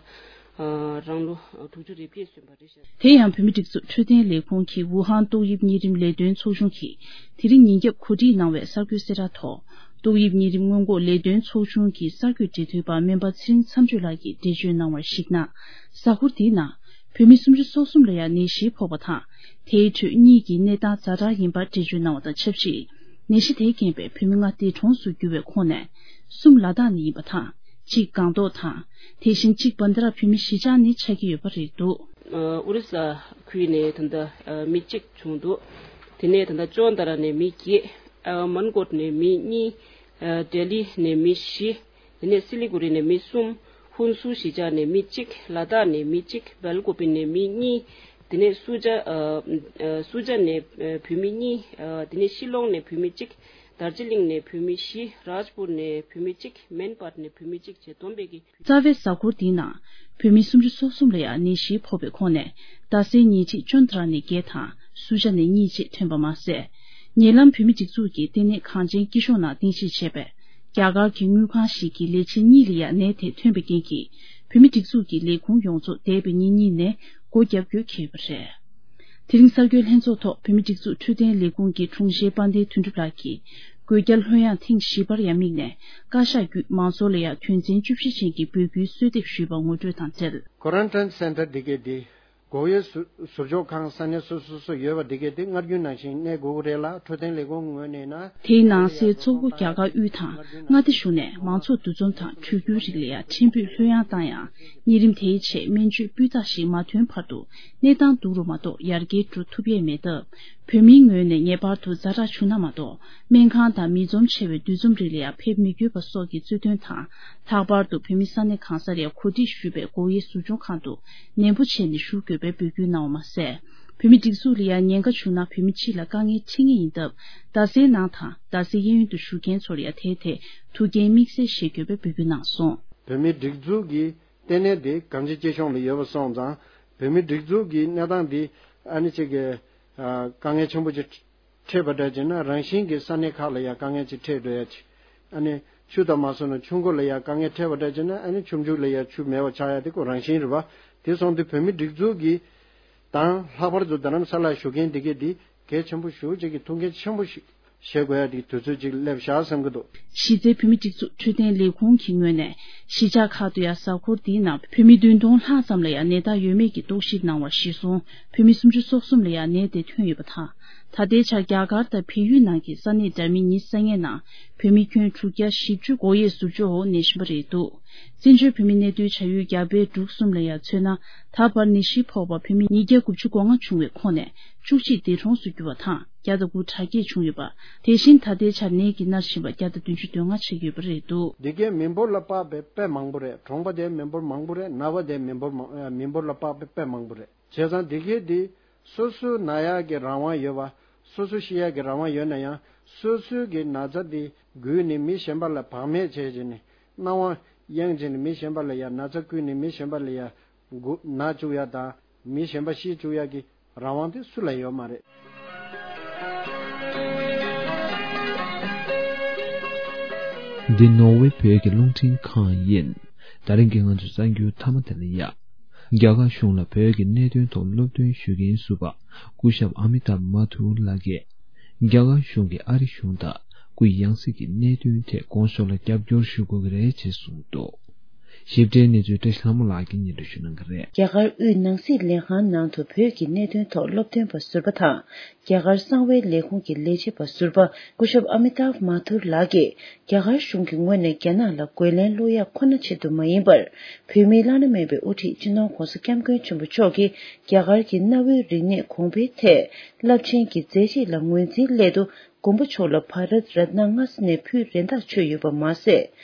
རང་ལོ་དྲུག་ཅུ་རེ་བརྒྱད་སོན་པ་རེད་ཤག། དེ་ཡང་བོད་མི་སྒྲིག་འཛུགས་འཕྲོད་བསྟེན་ལས་ཁུངས་ཀྱི་ཝུ་ཧན་ཏོག་དབྱིབས་གཉན་རིམས་ལས་དོན་ཚོགས་ཆུང་གིས་དེ་རིང་ཉིན་རྒྱབ་གོ་སྒྲིག་གནང་བའི་གསར་འགོད་གསལ་བསྒྲགས་ཐོག། ཏོག་དབྱིབས་གཉན་རིམས་སྔོན་འགོག་ལས་དོན་ཚོགས་ཆུང་གི་གསར་འགོད་འབྲེལ་མཐུད་པ་སྨན་པ་ཚེ་རིང་མཚམས་གཅོད་ལགས་ཀྱིས་འགྲེལ་བརྗོད་གནང་བར་གཞིགས་ན། གཟའ་འཁོར་འདིའི་ནང་བོད་མི་སུམ་ཅུ་སོ་གསུམ་ལ་ཡང་ནད་གཞི་ཕོག་པ་དང་། དེའི་ཁྲོད་གཉིས་ཀྱི་གནས་སྟངས་ཛ་དྲག་ཡིན་པར་འགྲེལ་བརྗོད་གནང་བ་དང་ཆབས་ཅིག། ནད་གཞི་དེའི་རྐྱེན་པས་བོད་མི་ལྔ་འདས་གྲོངས་སུ་གྱུར་བའི་ཁོངས་ནས་གསུམ་ལ་དྭགས་ནས་ཡིན་པ་དང་། གཅིག་སྒང་ཏོག་དང་། དེ་བཞིན་གཅིག་བན་དྷ་ར་བོད་མི་གཞིས་ཆགས་ནས་ཆགས་ཀྱི་ཡོད་པ་རེད་འདུག། ཨུ་རུ་ས་ཁུལ་ནས་ད་ལྟ་མི་གཅིག་བྱུང་འདུག། དེ་ནས་ད་ལྟ་ཅོན་ཏ་ར་ནས་མི་བརྒྱད། མན་གོད་ནས་མི་གཉིས། ལྡི་ལི་ནས་མི་བཞི། དེ་ནས་སི་ལི་གུ་རི་ནས་མི་གསུམ། ཧུན་སུར་གཞིས་ཆགས་ནས་མི་གཅིག། ལ་དྭགས་ནས་མི་གཅིག། སྦེལ་ཀོབ་ནས་མི་གཉིས། དེ་ནས་སུ་ཇ། ཨ། ཨ། སུ་ཇ་ནས་ཨ་བོད་མི་གཉིས། ཨ། དེ་ནས་ཤི་ལོང་ནས་བོད་མི་གཅིག། དར་ཇི་ལིང་ནས་བོད་མི་བཞི། རཱཇ་པུར་ནས་བོད་མི་གཅིག། མན་པཱར་ནས་བོད་མི་གཅིག་བཅས་བསྡོམས་པས་ཀྱི། རྩ་བའི་གཟའ་འཁོར་འདིའི་ནང་བོད་མི་སུམ་ཅུ་སོ་གསུམ་ལ་ཡང་ནད་གཞིའི་ཕོག་པའི་ཁོངས་ནས་རྡ་སའི་ཉེ་འཁྲིས་ཅོན་ཏ་ར་ནས་བརྒྱད་དང་སུ་ཇ་ནས་གཉིས་བཅས་ཐོན་པ་མ་ཟད། ཉེ་ལམ་བོད་མི་སྒྲིག་འཛུགས་ཀྱི་ལྟེ་གནས་གངས་ཅན་སྐྱིད་གཤོངས་ནང་རྟེན་གཞི་བྱས་པའི་རྒྱ་གར་གྱི་དངུལ་ཁང་ཞིག་གི་ལས་བྱེད་གཉིས་ལ་ཡང་ནད་དེ་ཐོན་པའི་རྐྱེན་གྱིས། བོད་མི་སྒྲིག་འཛུགས་ཀྱི་ལས་ཁུངས་ཡོངས་རྫོགས་འདས་པའི་ཉིན་གཉིས་ནས་སྒོ་བརྒྱབ་དགོས་འཁེལ་ཡོད་པ་རེད། དེ་རིང་གསར་འགོད་ལྷན་ཚོགས་ཐོག་བོད་མི་སྒྲིག་འཛུགས་འཕྲོད་བསྟེན་ལས་ཁུངས་ཀྱི་དྲུང་ཆེ་དཔལ་ལྡན་དོན་གྲུབ་ལགས་ཀྱིས། སྒོས་བསྐྱར་ལྷོད་ཡངས་ཐེངས་བཞི་པར་ཡང་དམིགས་ནས། བཀའ་ཤག་བརྒྱུད་མང་ཚོགས་ལ་ཡང་དོན་ཚན་བཅུ་བཞི་ཅན་གྱི་འབོད་སྐུལ་གསོལ་འདེབས་ཞུས་པ་ངོ་སྤྲོད་དང་འབྲེལ། Quarantine Center འདི་གའི་འདི། འགོག་དབྱེ་ཟུར་ཟུར་འཇོག་ཁང་ས་གནས་སོ་སོ་སོ་ཡོད་པ་འདི་གའི་འདི་སྔར་རྒྱུན་ནང་བཞིན་གནས་དགོས་ཀྱི་རེད་ལ། འཕྲོད་བསྟེན་ལས་ཁུངས་ངོས་ནས་ན། དེའི་ནང་གསེས་མཚོ་སྒོ་རྒྱ་གར་དབུས་དང་མངའ་སྡེ་གཞུང་ནས་མང་ཚོགས་འདུ་འཛོམས་དང་གྲོས་བསྡུར་རིགས་ལ་ཡང་ཕྲན་བུ་ལྷོད་ཡངས་བཏང་ཡང་། གཉན་རིམས་དེའི་ཆེད་སྨན་བཅོས་སྤུས་དག་ཞིག་མ་ཐོན་བར་དུ་གནས་སྟངས་སྡུག་རུ་མ་གཏོགས་ཡར་རྒྱས་འགྲོ་ཐུབ་ཡས་མེད་སྟབས། བོད་མིའི་ངོས་ནས་ངེས་པར་དུ་ཛ་དྲག་བྱུང་ན་མ་གཏོགས། སྨན་ཁང་དང་མི་འཛོམས་ཆེ་བའི་འདུ་འཛོམས་རིགས་ལ་ཡང་ཕེབས་མི་དགོས་པ་སོགས་ཀྱི་གཙོས་དོན་དང་། ལྷག་པར་དུ་བོད་མི་ས་གནས་གང་སར་ཡང་གོ་སྒྲིག་ཞུས་པའི་འགོག་དབྱེ་ཟུར་སྦྱོང་ཁང་དུ་ནན་པོ་བྱས་ནས་བཞུགས་དགོས་པའི་འབོད་སྐུལ་གནང་བ་མ་ཟད། བོད་མི་སྒྲིག་འཛུགས་ལ་ཡང་ཉེན་ཁ་བྱུང་ན་བོད་མི་སྤྱི་ལ་དཀའ་ངལ་འཕྲད་ངེས་ཡིན་སྟབས། རྡ་སའི་ནང་དང་རྡ་སའི་གཡས་གཡོན་དུ་བཞུགས་མཁན་ཚོར་ཡང་དེའི་ཐད་ཐུགས་འགན་དམིགས་བསལ་བཞེས་དགོས་པའི་འབོད་སྐུལ་གནང་སོང་། བོད་མིའི་སྒྲིག་འཛུགས་ཀྱི་ལྟེ་གནས་དེ་གངས་ཅན་སྐྱིད་གཤོངས་ལ་ཡོད་པ་སོང་ཙང་། བོད་མིའི་སྒྲིག་འཛུགས་ཀྱི་གནས་སྟངས་འདི་ཨ་ནི་ཅིག་གི་ཨ་དཀའ་ངལ་ཆེན་པོ་ཅིག་འཕྲད་པ་འདྲ་བྱས་ན་རང་བཞིན་གྱིས་ས་གནས་ཁག་ལ་ཡང་དཀའ་ངལ་ཅིག་འཕྲད་འགྲོ་ཡ་ཅིག། ཨ་ནི་ཆུ་དང་མ་སོང་ན་ཆུ་མགོ་ལ་ཡང་དཀའ་ངལ་འཕྲད་པ་འདྲ་བྱས་ན་ཨ་ནི་ཆུ་མཇུག་ལ་ཡང་ཆུ་མེད་པ་ཆགས་ཡ་དེ་ཁོ་རང་བཞིན་རེད་བ། དེ་སོང་དུས་བོད་མིའི་སྒྲིག་འཛུགས་ཀྱི་དང་ལྷག་པར་དུ་རྡ་རམ་ས་ལར་བཞུགས་མཁན་འདི་གས་འདི་གལ་ཆེན་པོ་ཞེ་ཅིག་གི་ཐུགས་འགན་ཆེན་པོ་ཞིག་བཞེས་དགོས་ཡ་དེ་དུས་ཚོད་ཅིག་སླེབས་ཤག་བསམ་གྱི་འདུག། གཞི་རྩའི་བོད་མི་སྒྲིག་འཛུགས་འཕྲོད་བསྟེན་ལས་ཁུངས་ཀྱི་ངོས་ནས་གཞིས་ཆགས་ཁག་ཏུ་ཡང་གཟའ་འཁོར་འདིའི་ནང་བོད་མི་བདུན་སྟོང་ལྷག་ཙམ་ལ་ཡང་ནད་རྟགས་ཡོད་མེད་ཀྱི་རྟོག་ཞིབ་གནང་བ་གཞིར་བཟུང་བོད་མི་སུམ་ཅུ་སོ་གསུམ་ལ་ཡང་ནད་དེ་ཐོན་ཡོད་པ་དང་། ད་ལྟའི་ཆར་རྒྱ་གར་དང་བལ་ཡུལ་ནང་གི་ས་གནས་འདྲ་མིན་ཉི་ཤུ་རྩ་ལྔའི་ནང་བོད་མི་ཁྱོན་དྲུག་བརྒྱ་བཞི་བཅུ་འགོག་དབྱེ་ཟུར་འཇོག་འོག་གནས་བཞིན་པ་རེད་འདུག། བཙན་བྱོལ་བོད་མི་གནས་སྡོད་བྱ་ཡུལ་རྒྱ་བལ་འབྲུག་གསུམ་ལ་ཡང་མཚོན་ན། ད་བར་ནད་གཞི་ཕོག་པ་བོད་མི་ཉིས་བརྒྱ་དགུ་བཅུ་གོ་ལྔ་བྱུང་བའི་ཁོངས་ནས་བཅུ་གཅིག་འདས་གྲོངས་སུ་གྱུར་བ་དང་། བརྒྱ་དང་དགུ་དྲག་སྐྱེད་བྱུང་ཡོད་པ། དེ་བཞིན་ད་ལྟའི་ཆར་ནད་ཀྱིས་མནར་བཞིན་པ་བརྒྱ་དང་བདུན་ཅུ་དོན་ལྔ་ཆགས་ཡོད་པ་རེད་འདུག། འདི་གའི་མི་འབོར་ལ་དཔག་པའི་དཔེ་མང་པོ་རེད། གྲོང་པ་དེ་མི་འབོར་མང་པོ་རེད། ནགས་པ་དེ་མི་འབོར་མང་མི་འབོར་ལ་དཔག་པའི་དཔེ་མང་པོ་རེད། བྱས་ཙང་འདི་གའི་འདི་སོ་སོའི་ན་ཡག་གི་རང་དབང་ཡོད་པ། སོ་སོ་ཤི་ཡག་གི་རང་དབང་ཡོད་ན་ཡང་། སོ་སོའི་གི་ན་ཚ་འདི་འགོས་ནས་མི་གཞན་པ་ལ་བག་མེད་བྱས་བྱས་ནས་སྣང་བ་གཡེང་བྱས་ནས་མི་གཞན་པ་ལ་ཡང་ན་ཚ་བསྐུས་ནས་མི་གཞན་པ་ལ་ཡང་འགོ་ན་བཅུག་ཡ་དང་མི་གཞན་པ་ཤི་བཅུག་ཡ་གི་རང་དབང་དེ་སུ་ལ་ཡོད་མ་རེད། འདི་ནོར་ཝེ་བོད་ཀྱི་རླུང་འཕྲིན་ཁང་ཡིན། ད་རིང་གི་ང་ཚོའི་གསར་འགྱུར་མཐའ་མ་དེ་ལ་ཡ། རྒྱ་གར་གཞུང་ལ་བོད་ཀྱི་གནད་དོན་ཐོག་སློབ་སྟོན་ཞུ་མཁན་ཟུར་པ་སྐུ་ཞབས་ཨ་མི་ཏཱབ་མ་ཐུར་ལགས་ཀྱིས། རྒྱ་གར་གཞུང་གིས་ཨ་རི་གཞུང་དང་སྐུའི་ཡང་སྲིད་ཀྱི་གནད་དོན་ཐད་དགོངས་ཞུ་ལ་རྒྱབ་སྐྱོར་ཞུ་དགོས་ཀྱི་རེད་ཅེས་གསུངས་འདུག། ཞིབ་ཕྲའི་གནས་ཚུལ་བཀྲ་ཤིས་ལྷ་མོ་ལགས་ཀྱིས་སྙན་སྒྲོན་ཞུ་གནང་གི་རེད། རྒྱ་གར་དབུས་ནང་སྲིད་ལས་ཁང་ནང་དུ་བོད་ཀྱི་གནད་དོན་ཐོག་སློབ་སྟོན་པ་ཟུར་པ་དང་། རྒྱ་གར་གསང་བའི་ལས་ཁུངས་ཀྱི་ལས་བྱེད་པ་ཟུར་པ་སྐུ་ཞབས་ཨ་མི་ཏཱབ་མ་ཐུར་ལགས་ཀྱིས། རྒྱ་གར་གཞུང་གི་ངོས་ནས་རྒྱ་ནག་ལ་རྒོལ་ལན་སློག་ཡག་ཁོ་ན་ཆེད་དུ་མ་ཡིན་པར། བོད་མིའི་བླ་ན་མེད་པའི་དབུ་ཁྲིད་སྤྱི་ནོར་༧གོང་ས་༧སྐྱབས་མགོན་ཆེན་པོ་མཆོག་གིས་རྒྱ་གར་གྱི་གནའ་བོའི་རིག་གནས་གོང་འཕེལ་ཐད་རླབས་ཆེན་གྱི་མཛད་རྗེས་ལ་ངོས་འཛིན་སླད་དུ། མགོན་པོ་མཆོག་ལ་བྷ་རད་རཏ་ན་སྔ་ས་ནས་ཕུལ་རེ་འདོད་བྱུང་ཡོད་པ་མ་ཟད།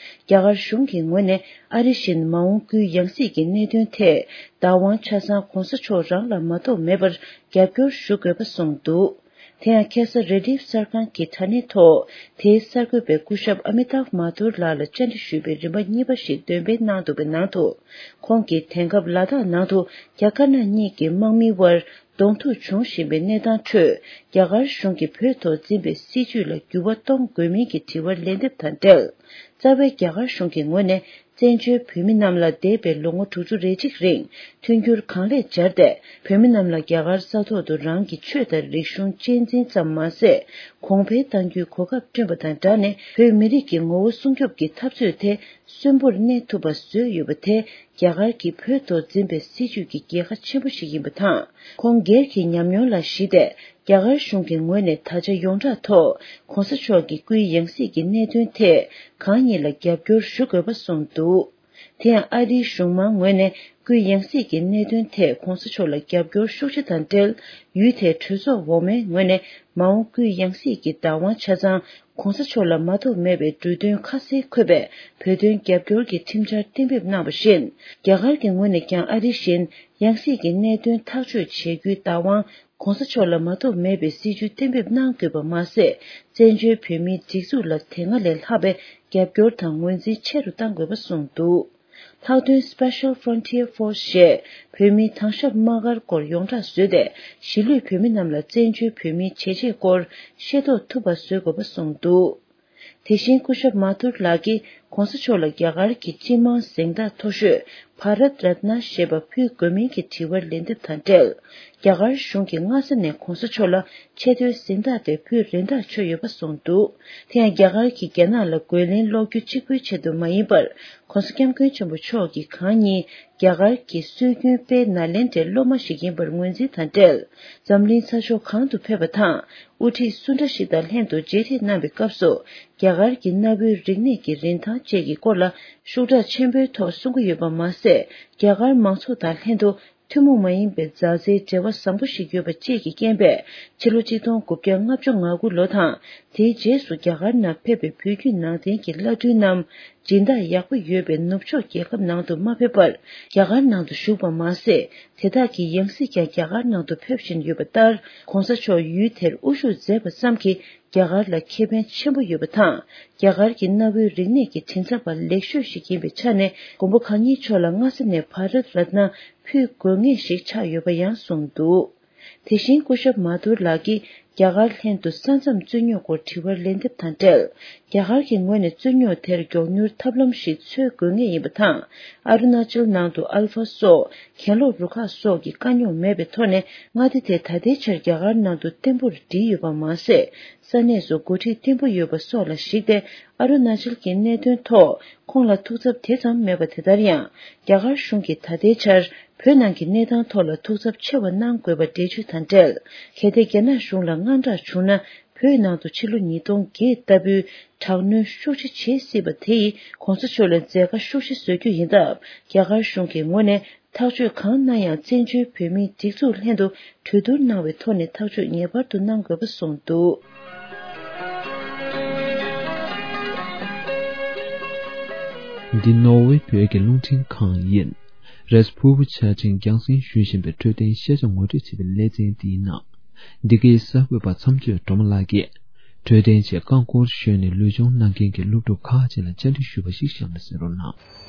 རྒྱ་གར་གཞུང་གི་ངོས་ནས་ཨ་རི་བཞིན་མ་འོངས་སྐུའི་ཡང་སྲིད་ཀྱི་གནད་དོན་ཐད་བདག་དབང་ཆ་ཚང་གོང་ས་མཆོག་རང་ལ་མ་གཏོགས་མེད་པར་རྒྱབ་སྐྱོར་ཞུ་དགོས་པ་གསུངས་འདུག་དེ་ཡང་ཁ་སང་རེ་ལྡེབ་གསར་ཁང་གི་དྲ་གནས་ཐོག་དེའི་གསར་འགོད་པས་སྐུ་ཞབས་ཨ་མི་ཏཱབ་མ་ཐུར་ལགས་ལ་བཅར་འདྲི་ཞུས་པའི་རིམ་པ་གཉིས་པ་ཞིག་འདོན་སྤེལ་གནང་འདུག་པའི་ནང་དུ། ཁོང་གིས་དེང་སྐབས་ལ་དྭགས་ནང་དུ་རྒྱ་དཀར་ནག་གཉིས་ཀྱི་དམག་མིའི་དབར་གདོང་ཐུག་འབྱུང་བཞིན་པའི་གནས་སྟངས་ཁྲོད། རྒྱ་གར་གཞུང་གིས་བོད་ཐོག་འཛིན་པའི་སྲིད་བྱུས་ལ་འགྱུར་བ་གཏོང་དགོས་མིན་གྱི་དྲི་བར་ལན་འདེབས་དང་འབྲེལ། རྩ་བའི་རྒྱ་གར་གཞུང་གི་ངོས་ནས། བཙན་བྱོལ་བོད་མི་རྣམས་ལ་འདས་པའི་ལོ་ངོ་དྲུག་ཅུ་རེ་གཅིག་རིང་མཐུན་འགྱུར་གང་ལེགས་སྦྱར་ཏེ། བོད་མི་རྣམས་ལ་རྒྱ་གར་ས་ཐོག་ཏུ་རང་གི་ཆོས་དང་རིག་གཞུང་གཅེས་འཛིན་ཙམ་མ་ཟད། གོང་འཕེལ་གཏང་རྒྱུའི་གོ་སྐབས་བསྐྲུན་པ་དང་སྦྲགས་ནས། བོད་མི་རིགས་ཀྱི་ངོ་བོ་སྲུང་སྐྱོབ་ཀྱི་འཐབ་རྩོད་དེ་གསོན་པོར་གནས་ཐུབ་པ་བཟོས་ཡོད་པ་དེ། རྒྱ་གར་གྱིས་བོད་ཐོག་འཛིན་པའི་སྲིད་བྱུས་ཀྱི་རྒྱལ་ཁ་ཆེན་པོ་ཞིག་ཡིན་པ་དང་། ཁོང་སྒེར་གྱི་ཉམས་མྱོང་ལ་གཞི་བལྟས། རྒྱ་གར་གཞུང་གི་ངོས་ནས་ད་ཆ་ཡོངས་གྲགས་ཐོག་གོང་ས་མཆོག་གི་སྐུའི་ཡང་སྲིད་ཀྱི་གནད་དོན་ཐད་གང་ཉིད་ལ་རྒྱབ་སྐྱོར་ཞུ་དགོས་པ་གསུངས་འདུག་དེ་ཡང་ཨ་རིའི་གཞུང་མང་ངོས་ནས་སྐུའི་ཡང་སྲིད་ཀྱི་གནད་དོན་ཐད་གོང་ས་མཆོག་ལ་རྒྱབ་སྐྱོར་ཤུགས་ཆེ་དང་འབྲེལ། ཡུལ་དེའི་གྲོས་ཚོགས་འོག་མའི་ངོས་ནས་མ་འོངས་སྐུའི་ཡང་སྲིད་ཀྱི་བདག་དབང་ཆ་ཚང་གོང་ས་མཆོག་ལ་མ་གཏོགས་མེད་པའི་འབྲུ་དོན་ཁ་གསལ་འཁོད་པའི་བོད་དོན་རྒྱབ་སྐྱོར་གྱི་ཁྲིམས་འཆར་གཏན་འབེབས་གནང་བ་བཞིན། རྒྱ་གར་གྱི་ངོས་ནས་ཀྱང་ཨ་རི་བཞིན་ཡང་སྲིད་ཀྱི་གནད་དོན་ཐག་གཅོད་བྱེད་རྒྱུའི་བདག་དབང་། གོང་ས་མཆོག་ལ་མ་གཏོགས་མེད་པའི་སྲིད་བྱུས་གཏན་འབེབས་གནང་དགོས་པ་མ་ཟད། བཙན་བྱོལ་བོད་མིའི་སྒྲིག་འཛུགས་ལ་དེ་སྔ་ལས་ལྷག་པའི་རྒྱབ་སྐྱོར་དང་ངོས་འཛིན་ཆེ་རུ་གཏང་དགོས་པ་གསུངས་འདུག་ལྷག་དོན་Special Frontier Force ཞེས་བོད་མིའི་དྭང་ཞབས་དམག་སྒར་སྐོར་ཡོངས་གྲགས་བཟོས་ཏེ། གཞིས་ལུས་བོད་མི་རྣམས་ལ་བཙན་བྱོལ་བོད་མིའི་བྱས་རྗེས་སྐོར་ཤེས་རྟོགས་ཐུབ་པ་བཟོ་དགོས་པ་གསུངས་འདུག་དེ་བཞིན་སྐུ་ཞབས་མ་ཐུར་ལགས་ཀྱིས་གོང་ས་མཆོག་ལ་རྒྱ་གར་གྱི་སྤྱི་དམངས་གཟེངས་རྟགས་མཐོ་ཤོས་བྷ་རད་རཏ་ན་ཞེས་པ་ཕུལ་དགོས་མིན་གྱི་དྲི་བར་ལན་འདེབས་དང་འབྲེལ། རྒྱ་གར་གཞུང་གིས་སྔ་ས་ནས་གོང་ས་མཆོག་ལ་ཆེས་མཐོའི་གཟེངས་རྟགས་དེ་ཕུལ་རེ་འདོད་བྱུང་ཡོད་པ་གསུངས་འདུག་དེ་ཡང་རྒྱ་གར་གྱིས་རྒྱ་ནག་ལ་རྒོལ་ལན་སློག་རྒྱུ་གཅིག་པུའི་ཆེད་དུ་མ་ཡིན་པར། གོང་ས་སྐྱབས་མགོན་ཆེན་པོ་མཆོག་གིས་གང་ཉིད་རྒྱ་གར་གྱི་སྲོལ་རྒྱུན་དཔལ་ནཱ་ལེནྡྲའི་སློབ་མ་ཞིག་ཡིན་པར་ངོས་འཛིན་དང་འབྲེལ། འཛམ་གླིང་ས་ཕྱོགས་གང་དུ་ཕེབས་པ་དང་། དབུ་ཁྲིད་སུ་འདྲ་ཞིག་དང་ལྷན་དུ་མཇལ་འཕྲད་གནང་བའི་སྐབས་སུ། རྒྱ་གར་གྱི་གནའ་བོའི་རིག་གནས་ཀྱི་རིན་ཐང་བཅས་ཀྱི་སྐོར་ལ་ཤུགས་དྲག་ཆེན་པོའི་ཐོག་གསུང་གི་ཡོད་པ་མ་ཟད། རྒྱ་གར་མང་ཚོགས་དང་ལྷན་དུ་ཐུན་མོང་མ་ཡིན་པའི་མཛའ་བརྩེའི་འབྲེལ་བ་བཟང་པོ་ཞིག་ཡོད་པ་བཅས་ཀྱི་རྐྱེན་པས། ཕྱི་ལོ་ཆིག་སྟོང་དགུ་བརྒྱ་ལྔ་བཅུ་ང་དགུ་ལོ་དང་། དེའི་རྗེས་སུ་རྒྱ་གར་ནང་ཕེབས་པའི་བོད་བརྒྱུད་ནང་བསྟན་གྱི་བླ་སྤྲུལ་རྣམས། སྦྱིན་བདག་ཡག་པོ་ཡོད་པའི་ནུབ་ཕྱོགས་རྒྱལ་ཁབ་ནང་དུ་མ་ཕེབས་པར། རྒྱ་གར་ནང་དུ་བཞུགས་པ་མ་ཟད། དེ་དག་གི་ཡང་སྲིད་ཀྱང་རྒྱ་གར་ནང་དུ་ཕེབས་བཞིན་ཡོད་པ་ལྟར། གོང་ས་མཆོག་ཡུལ་དེར་དབུ་བཞུགས་མཛད་པ་ཙམ་གྱིས། རྒྱ་གར་ལ་ཁེ་ཕན་ཆེན་པོ་ཡོད་པ་དང་། རྒྱ་གར་གྱི་གནའ་བོའི་རིག་གནས་ཀྱི་མགྲིན་ཚབ་པ་ལེགས་ཤོས་ཤིག་ཡིན་པའི་ཆ་ནས། མགོན་པོ་གང་ཉིད་མཆོག་ལ་སྔ་ས་ནས་བྷ་རད་རཏ་ན་ཕུལ་དགོས་ངེས་ཤིག་ཆགས་ཡོད་པ་ཡང་གསུངས་འདུག་དེ་བཞིན་སྐུ་ཞབས་མ་ཐུར་ལགས་ཀྱིས་རྒྱ་གར་ལྷན་དུ་ས་མཚམས་རྩོད་རྙོག་སྐོར་དྲི་བར་ལན་འདེབས་དང་འབྲེལ། རྒྱ་གར་གྱི་ངོས་ནས་རྩོད་རྙོག་དེར་མགྱོགས་མྱུར་ཐབས་ལམ་ཞིག་འཚོལ་དགོས་ངེས་ཡིན་པ་དང་། ཨ་རུ་ན་ཅལ་ནང་དུ་ཨལ་ཕ་སོགས་གྱེན་ལོག་རུ་ཁག་སོགས་ཀྱི་དཀའ་རྙོག་མེད་པའི་ཐོག་ནས། མངའ་སྡེ་དེ་ད་ལྟའི་ཆར་རྒྱ་གར་ནང་དུ་བརྟན་པོར་སྒྲིལ་ཡོད་པ་མ་ཟད། ས་གནས་སུ་འགོ་ཁྲིད་བརྟན་པོ་ཡོད་པ་སོགས་ལ་གཞིགས་ཏེ། ཨ་རུ་ན་ཅལ་གྱི་གནད་དོན་ཐོག་ཁོང་ལ་ཐུགས་འཚབ་དེ་ཙམ་མེད་པ་དེ་ལྟར་ཡང་། རྒྱ་གར་གཞུང་གིས་ད་ལྟའི་ཆར་བོད་ནང་གི་གནས་སྟངས་ཐོག་ལ་ཐུགས་འཚབ་ཆེ་བ་གནང་དགོས་པ་འགྲེལ་བརྗོད་དང་འབྲེལ། གལ་ཏེ་རྒྱ་ནག་གཞུང་ལ་དངངས་སྐྲག་བྱུང་ན། བོད་ནང་དུ་ཕྱི་ལོ་ཉིས་སྟོང་བརྒྱད་ལྟ་བུའི་དྲག་གནོན་ཤུགས་ཆེ་བྱེད་སྲིད་པ་དེ་ཡིས་གོང་ས་མཆོག་ལ་མཛད་དཀའ་ཤུགས་ཆེ་བཟོ་རྒྱུ་ཡིན་སྟབས། རྒྱ་གར་གཞུང་གི་ངོས་ནས། ཐག་གཅོད་གང་གནང་ཡང་བཙན་བྱོལ་བོད་མིའི་སྒྲིག་འཛུགས་ལྷན་དུ་གྲོས་བསྡུར་གནང་བའི་ཐོག་ནས་ཐག་གཅོད་ངེས་པར་དུ་གནང་དགོས་པ་གསུངས་འདུག་འདི་ནོར་ཝེ་བོད་ཀྱི་རླུང་འཕྲིན་ཁང་ཡིན། རེས་ཕུར་བུ་ཆ་ཅན་རྒྱང་སྲིང་ཞུ་བཞིན་པའི་འཕྲོད་བསྟེན་ཤེས་བྱ་ངོ་སྤྲོད་བྱེད་པའི་ལེ་ཚན་འདིའི་ནང་། འདི་གའི་གསར་འགོད་པ་མཚམས་གཅོད་སྒྲོལ་མ་ལགས་ཀྱིས། འཕྲོད་བསྟེན་ཆེད་རྐང་འཁོར་ཞོན་ནས་ལུས་སྦྱོང་གནང་མཁན་གྱི་སློབ་ཕྲུག་ཁག་ཅིག་ལ་བཅར་འདྲི་ཞུས་པ་ཞིག་གཤམ་ལ་གསན་རོགས་གནང་།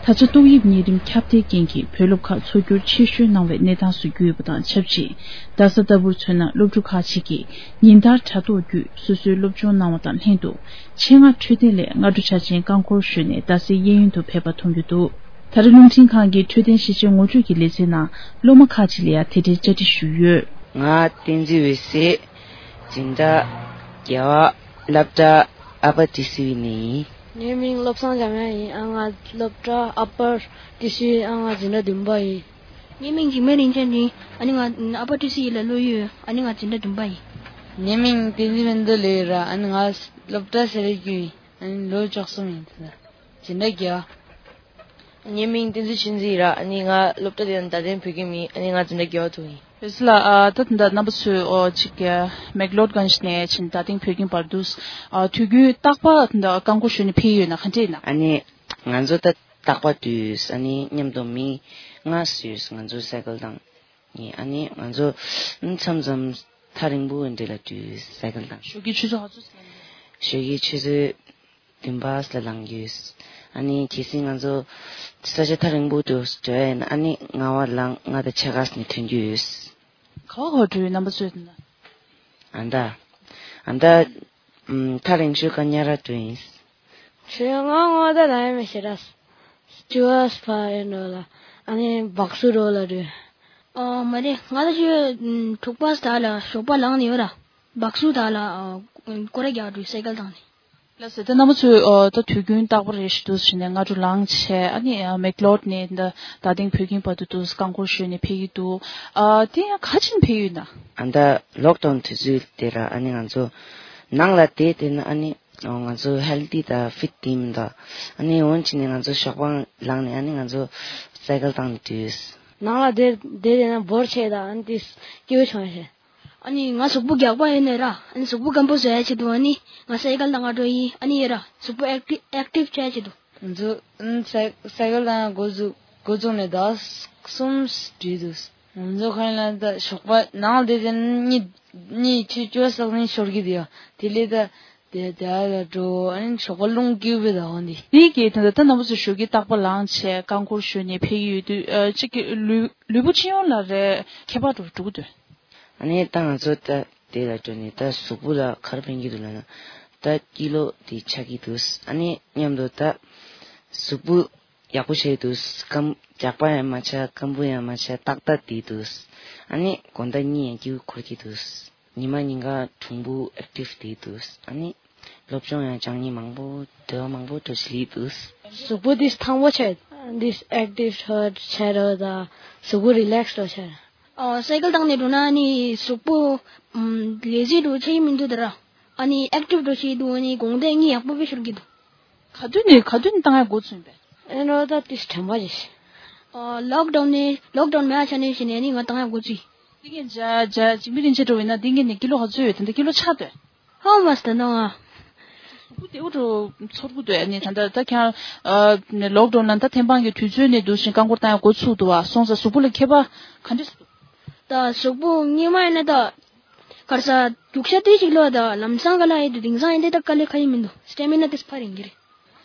ད་ཆ་ཏོག་དབྱིབས་ནད་རིམས་ཁྱབ་གདལ་རྐྱེན་གྱིས་བོད་སློབ་ཁག་འཚོ་སྒྱུར་ཆེ་ཤོས་གནང་བའི་གནས་སྟངས་སུ་གྱུར་ཡོད་པ་དང་ཆབས་ཅིག་རྡ་ས་ལྟ་བུར་མཚོན་ན་སློབ་ཕྲུག་ཁག་ཅིག་གིས་ཉིན་ལྟར་དྲ་ཐོག་བརྒྱུད་སོ་སོའི་སློབ་སྦྱོང་གནང་བ་དང་ལྷན་དུ་ཆེད་མངགས་འཕྲོད་བསྟེན་སླད་སྔ་དྲོ་འཆར་ཅན་རྐང་འཁོར་ཞོན་ནས་རྡ་སའི་གཡས་གཡོན་དུ་ཕེབས་པ་མཐོང་རྒྱུ་འདུག་ད་རེས་རླུང་འཕྲིན་ཁང་གི་འཕྲོད་བསྟེན་ཤེས་བྱའི་ངོ་སྤྲོད་ཀྱི་ལེ་ཚན་ནང་སློབ་མ་ཁག་ཅིག་ལ་ཡང་དེ་འབྲེལ་བཅར་འདྲི་ཞུས་ཡོད། ང་བསྟན་འཛིན་འོད་ཟེར། སྦྱིན་བདག་རྒྱལ་བ། སློབ་གྲྭ་ཨ་པ་ཏི་སི་བི་ནས་ཡིན། ངའི་མིང་བློ་བཟང་འཇམ་དབྱངས་ཡིན། ཨ་ང་སློབ་གྲྭ་ཨ་པ་ཏི་སི་བི། ཨ་ང་འཛིན་གྲྭ་བདུན་པ་ཡིན། ངའི་མིང་འཇིགས་མེད་རིན་ཆེན་ཡིན། ཨ་ནི་ང་ཨ་པ་ཏི་སི་བི་ལ་སློབ་ཡོད། ཨ་ནི་ང་འཛིན་གྲྭ་བདུན་པ་ཡིན། ངའི་མིང་བསྟན་འཛིན་བན་དུ་ལོས་ར། ཨ་ནི་ང་སློབ་གྲྭ་སེ་ར་བརྒྱུད་ཡིན། ཨ་ནི་ལོ་བཅུ་གསུམ་ཡིན། འཛིན་གྲྭ་བརྒྱད་པ། ངའི་མིང་བསྟན་འཛིན་ཆོས་འཛིན་ར། ཨ་ནི་ང་སློབ་གྲྭ་དེ་ནི་རྡ་སྟེང་བོད་ཁྱིམ་ཡིན། ཨ་ནི་ང་འཛིན་གྲྭ་བརྒྱད་པ་དུ་ཡིན། ལགས། ཨ་ད་ད་ལྟ་རྣམ་པ་ཚོས་ཨོ་ཅིག་ཨ་མེག་ལོར་གྷན་ཇི་ནས་ཕྱིན་རྡ་སྟེང་བོད་ཁྱིམ་བར་དུ་ཨ་དུས་རྒྱུན་རྟག་པར་ད་ལྟ་རྐང་འཁོར་ཞོན་ནས་ཕེབས་ཡོད་ན་ག་འདྲ་ཡིན་ན། ཨ་ནི་ང་ཚོ་ད་རྟག་པར་འགྲོ་ཡོད། ཨ་ནི་མཉམ་དུ་མི་ལྔ་ཙམ་ཡོད། ང་ཚོ་སའི་ཀལ་བཏང་ནས། ཨ་ནི་ང་ཚོ་མཚམས་མཚམས་ཐག་རིང་པོ་འདྲ་ལ་འགྲོ་ཡོད། སའི་ཀལ་བཏང་། ཞོགས་ཀྱི་ཆུ་ཚོད་ག་ཚོད་ཟིན་ན། ཞོགས་ཀྱི་ཆུ་ཚོད་བདུན་པ་ལ་ལངས་ཀྱི་ཡོད། ཨ་ནི་གལ་སྲིད་ང་ཚོ་ས་ཆ་ཐག་རིང་པོ་དུ་འགྲོ་ཡ་ཡིན་ན། ཨ་ནི་ལྔ་པ་ལངས། ལྔ་དང་ཕྱེད་ཀ་ནས་ཐོན་གྱི་ཡོད། ག་བ་ག་བ་འགྲོ་ཡོད་རྣམ་པ་ཚོས་ན། ཨ་ད། ཨ་ད། ཨམ། ཐག་རིང་ཤོས་ཀ་ཉ་ར་འགྲོ་ཡིན། ཞོ་ང་ངོ་ད་ལ་ཡ་མེ་ཤེ་ར། ཅུ་བ་སྤ་ཡ་ནོ་ལ། ཨ་ནི་སྦག་སུ་རོ་ལ་འགྲོ། ཨོ་མ་རེད། ང་ད་ཅུ་དྲུག་པ་ད་ལ་ཞོགས་པ་ལངས་ནས་ཡོད་ར། སྦག་སུ་ད་ལ་སྐོར་ར་རྒྱག་འགྲོ་སའི་ཀལ་བཏང་ནས། ལགས་སོ། ད་རྣམ་པ་ཚོས་ཨ་ད་དུས་རྒྱུན་རྟག་པར་རེ་ཞིག་འདུག་ཟེར་ནས་སྔ་དྲོ་ལངས་བྱས། ཨ་ནི་ཨ་མེག་ལོར་ནས་ད་རྡ་སྟེང་བོད་ཁྱིམ་བར་དུ་འདུག་རྐང་འཁོར་ཞོན་ནས་ཕེབས་ཀྱི་འདུག། ཨ་དེ་ཡང་ག་ཕྱིན་ཕེབས་ཡོད་ན། ཨ་ད་ལོག་ཌའུན་དུས་ཚོད་དེ་ར། ཨ་ནི་ང་ཚོ་ནང་ལ་བསྡད་བསྡད་ན་ཨ་ནི་ང་ཚོ་ཧེལ་ཐི་དང་ཕིཊ་དེ་མི་འདུག། ཨ་ནི་འོན་ཅི་ནས་ང་ཚོ་ཞོགས་པ་ལངས་ནས་ཨ་ནི་ང་ཚོ་སའི་ཀལ་བཏང་ནས་འགྲོ་ཡོད། ནང་ལ་བསྡད་བསྡད་བསྡད་ན་བོར་ཆེ་ད། ཨ་ནི་དེ་སྐྱིད་པོ་བྱུང་ཡ་ཆེ། ཨ་ནི་ང་གཟུགས་པོ་རྒྱགས་པ་ཡིན་ནའི་ར། ཨ་ནི་གཟུགས་པོ་སྐམ་པོ་བཟོ་ཡ་ཆེད་དུ། ཨ་ནི་ང་སའི་ཀལ་བཏང་ག་འགྲོ་ཡིན། ཨ་ནི་ཡ་ར་གཟུགས་པོ་ཨེག་ཊིབ་ཨེག་ཊིབ་བྱ་ཡ་ཆེད་དུ། ང་ཚོ་ཨ་ནི་སའི་སའི་ཀལ་བཏང་ཡ་འགོ་བཙུགས་འགོ་བཙུགས་ནས་ཟླ་གསུམ་འགྲིག་འདུག། ང་ཚོ་ག་ཡིན་ལ་ད་ཞོགས་པ་ནང་དེ་དེ་གཉིད་གཉིད་ཆུ་ཅོ་སག་ནི་ཤོར་གི་དེ་ཡ། དེ་ལས་ད་དེ་དེ་ལ་འགྲོ། ཨ་ནི་ཞོགས་པ་རླུང་རྒྱུག་པའི་ཟླ་བ་འདི། དེ་གི་ད་ད་རྣམ་པ་ཚོ་ཞོགས་ཀྱི་རྟག་པ་ལངས་བྱས་རྐང་འཁོར་ཞོན་ནས་ཕེབས་ཀྱི་ཡོད་དུས། ཨ་གཅིག་གི་ལུས་ལུས་པོ་སྤྱི་ཡོངས་ལ་རེ་ཁྱད་པར་འགྲོ་འགྲོ་གི་འདུག། ཨ་ནི་ད་ང་ཚོ་ད་དེ་ལ་འགྲོ་ནས་ད་གཟུགས་པོ་ལ་ག་རེ་ཕན་གྱི་འདུག་ལབ་ན། ད་ཀི་ལོ་དེ་ཆགས་ཀྱི་འདུག། ཨ་ནི་མཉམ་དུ་ད་གཟུགས་པོ་ཡག་པོ་བྱས་འདུག། སྐམ་རྒྱགས་པ་ཡང་མ་ཆགས། སྐམ་པོ་ཡང་མ་ཆགས། ཏག་ཏག་བསྡད་འདུག། ཨ་ནི་དགོང་དག་གཉིད་ཡང་སྐྱིད་པོ་ཁུག་གི་འདུག། ཉི་མ་ཉིན་གང་གྲུང་པོ་ཨེག་ཊིབ་བསྡད་འདུག། ཨ་ནི་སློབ་སྦྱོང་ཡང་སྦྱང་ནི་མང་པོ་འདོད་པ་མང་པོ་འགྲོ་བཞིན་འདུག། གཟུགས་པོ་འདི་ཐང་པོ་བྱས། འདི་ཨེག་ཊིབ་ཧར་བྱས་རོ་ད། གཟུགས་པོ་རི་ལེགས་རོ་བྱས། ཨོ་སའི་ཀལ་བཏང་ནས་འགྲོ་ན་ནི་གཟུགས་པོ་ལེ་ཟི་འགྲོ་ཆེ་མི་འདུག་ད་ར། ཨ་ནི་ཨེག་ཊིབ་འགྲོ་ཆེ་འདུག། ཨ་ནི་དགོང་དག་གཉིད་ཡག་པོ་དཔེ་ཤོར་གི་འདུག། ག་དུས་ནས་ག་དུས་ནས་བཏང་ཡ་འགོ་ཚུགས་པས། ཨེ་ནོ་ད་ཏིས་དྲན་པ་ཞིག། ཨོ་ལོག་ཌའུན་ནས་ལོག་ཌའུན་མེད་ཆ་ནས་ཞིག་ནས་ནི་ང་བཏང་ཡ་འགོ་ཚུགས། འདི་གིན་ཇ་ཇ་འཇིགས་མེད་རིན་ཆེན་འགྲོ་བས་ན་འདི་གིན་ནས་ཀི་ལོ་ག་ཚོད་ཡོད། ད་ལྟ་ཀི་ལོ་ཆག་འདོད། ཧོ་མ་སྟ་ནོ་ཨ། སུ་དེའུ་འགྲོ་ཚོར་གུ་འདོད་ནི་ད་ལྟ་ད་ཁྱང་ཨ་ལོག་ཌའུན་ལ་ད་ཐེམ་སྤང་གི་དུས་ཚོད་ནས་འདུག་ཞིང་རྐང་འཁོར་བཏང་ཡ་འགོ་ཚུགས་འདུག་བ། སོང་ཙང་གཟུགས་པོ་ལ་ཁྱད་པར་ག་འདྲ་སུ་འདུག། ད་གཟུགས་པོ་སྔོན་མ་ཡིན་ན་ད། གར་ས་རྒྱུག་ཤ་ཏི་ཞིག་ལོ་ད་ལམ་སང་ག་ལ་ཡེ་དུ་དེང་སང་ཡེ་དེ་ད་དཀའ་ལས་ཁ་ཡེ་མི་འདུག། སྟེ་མི་ན་ཏིས་ཕ་རིང་གི་རེད།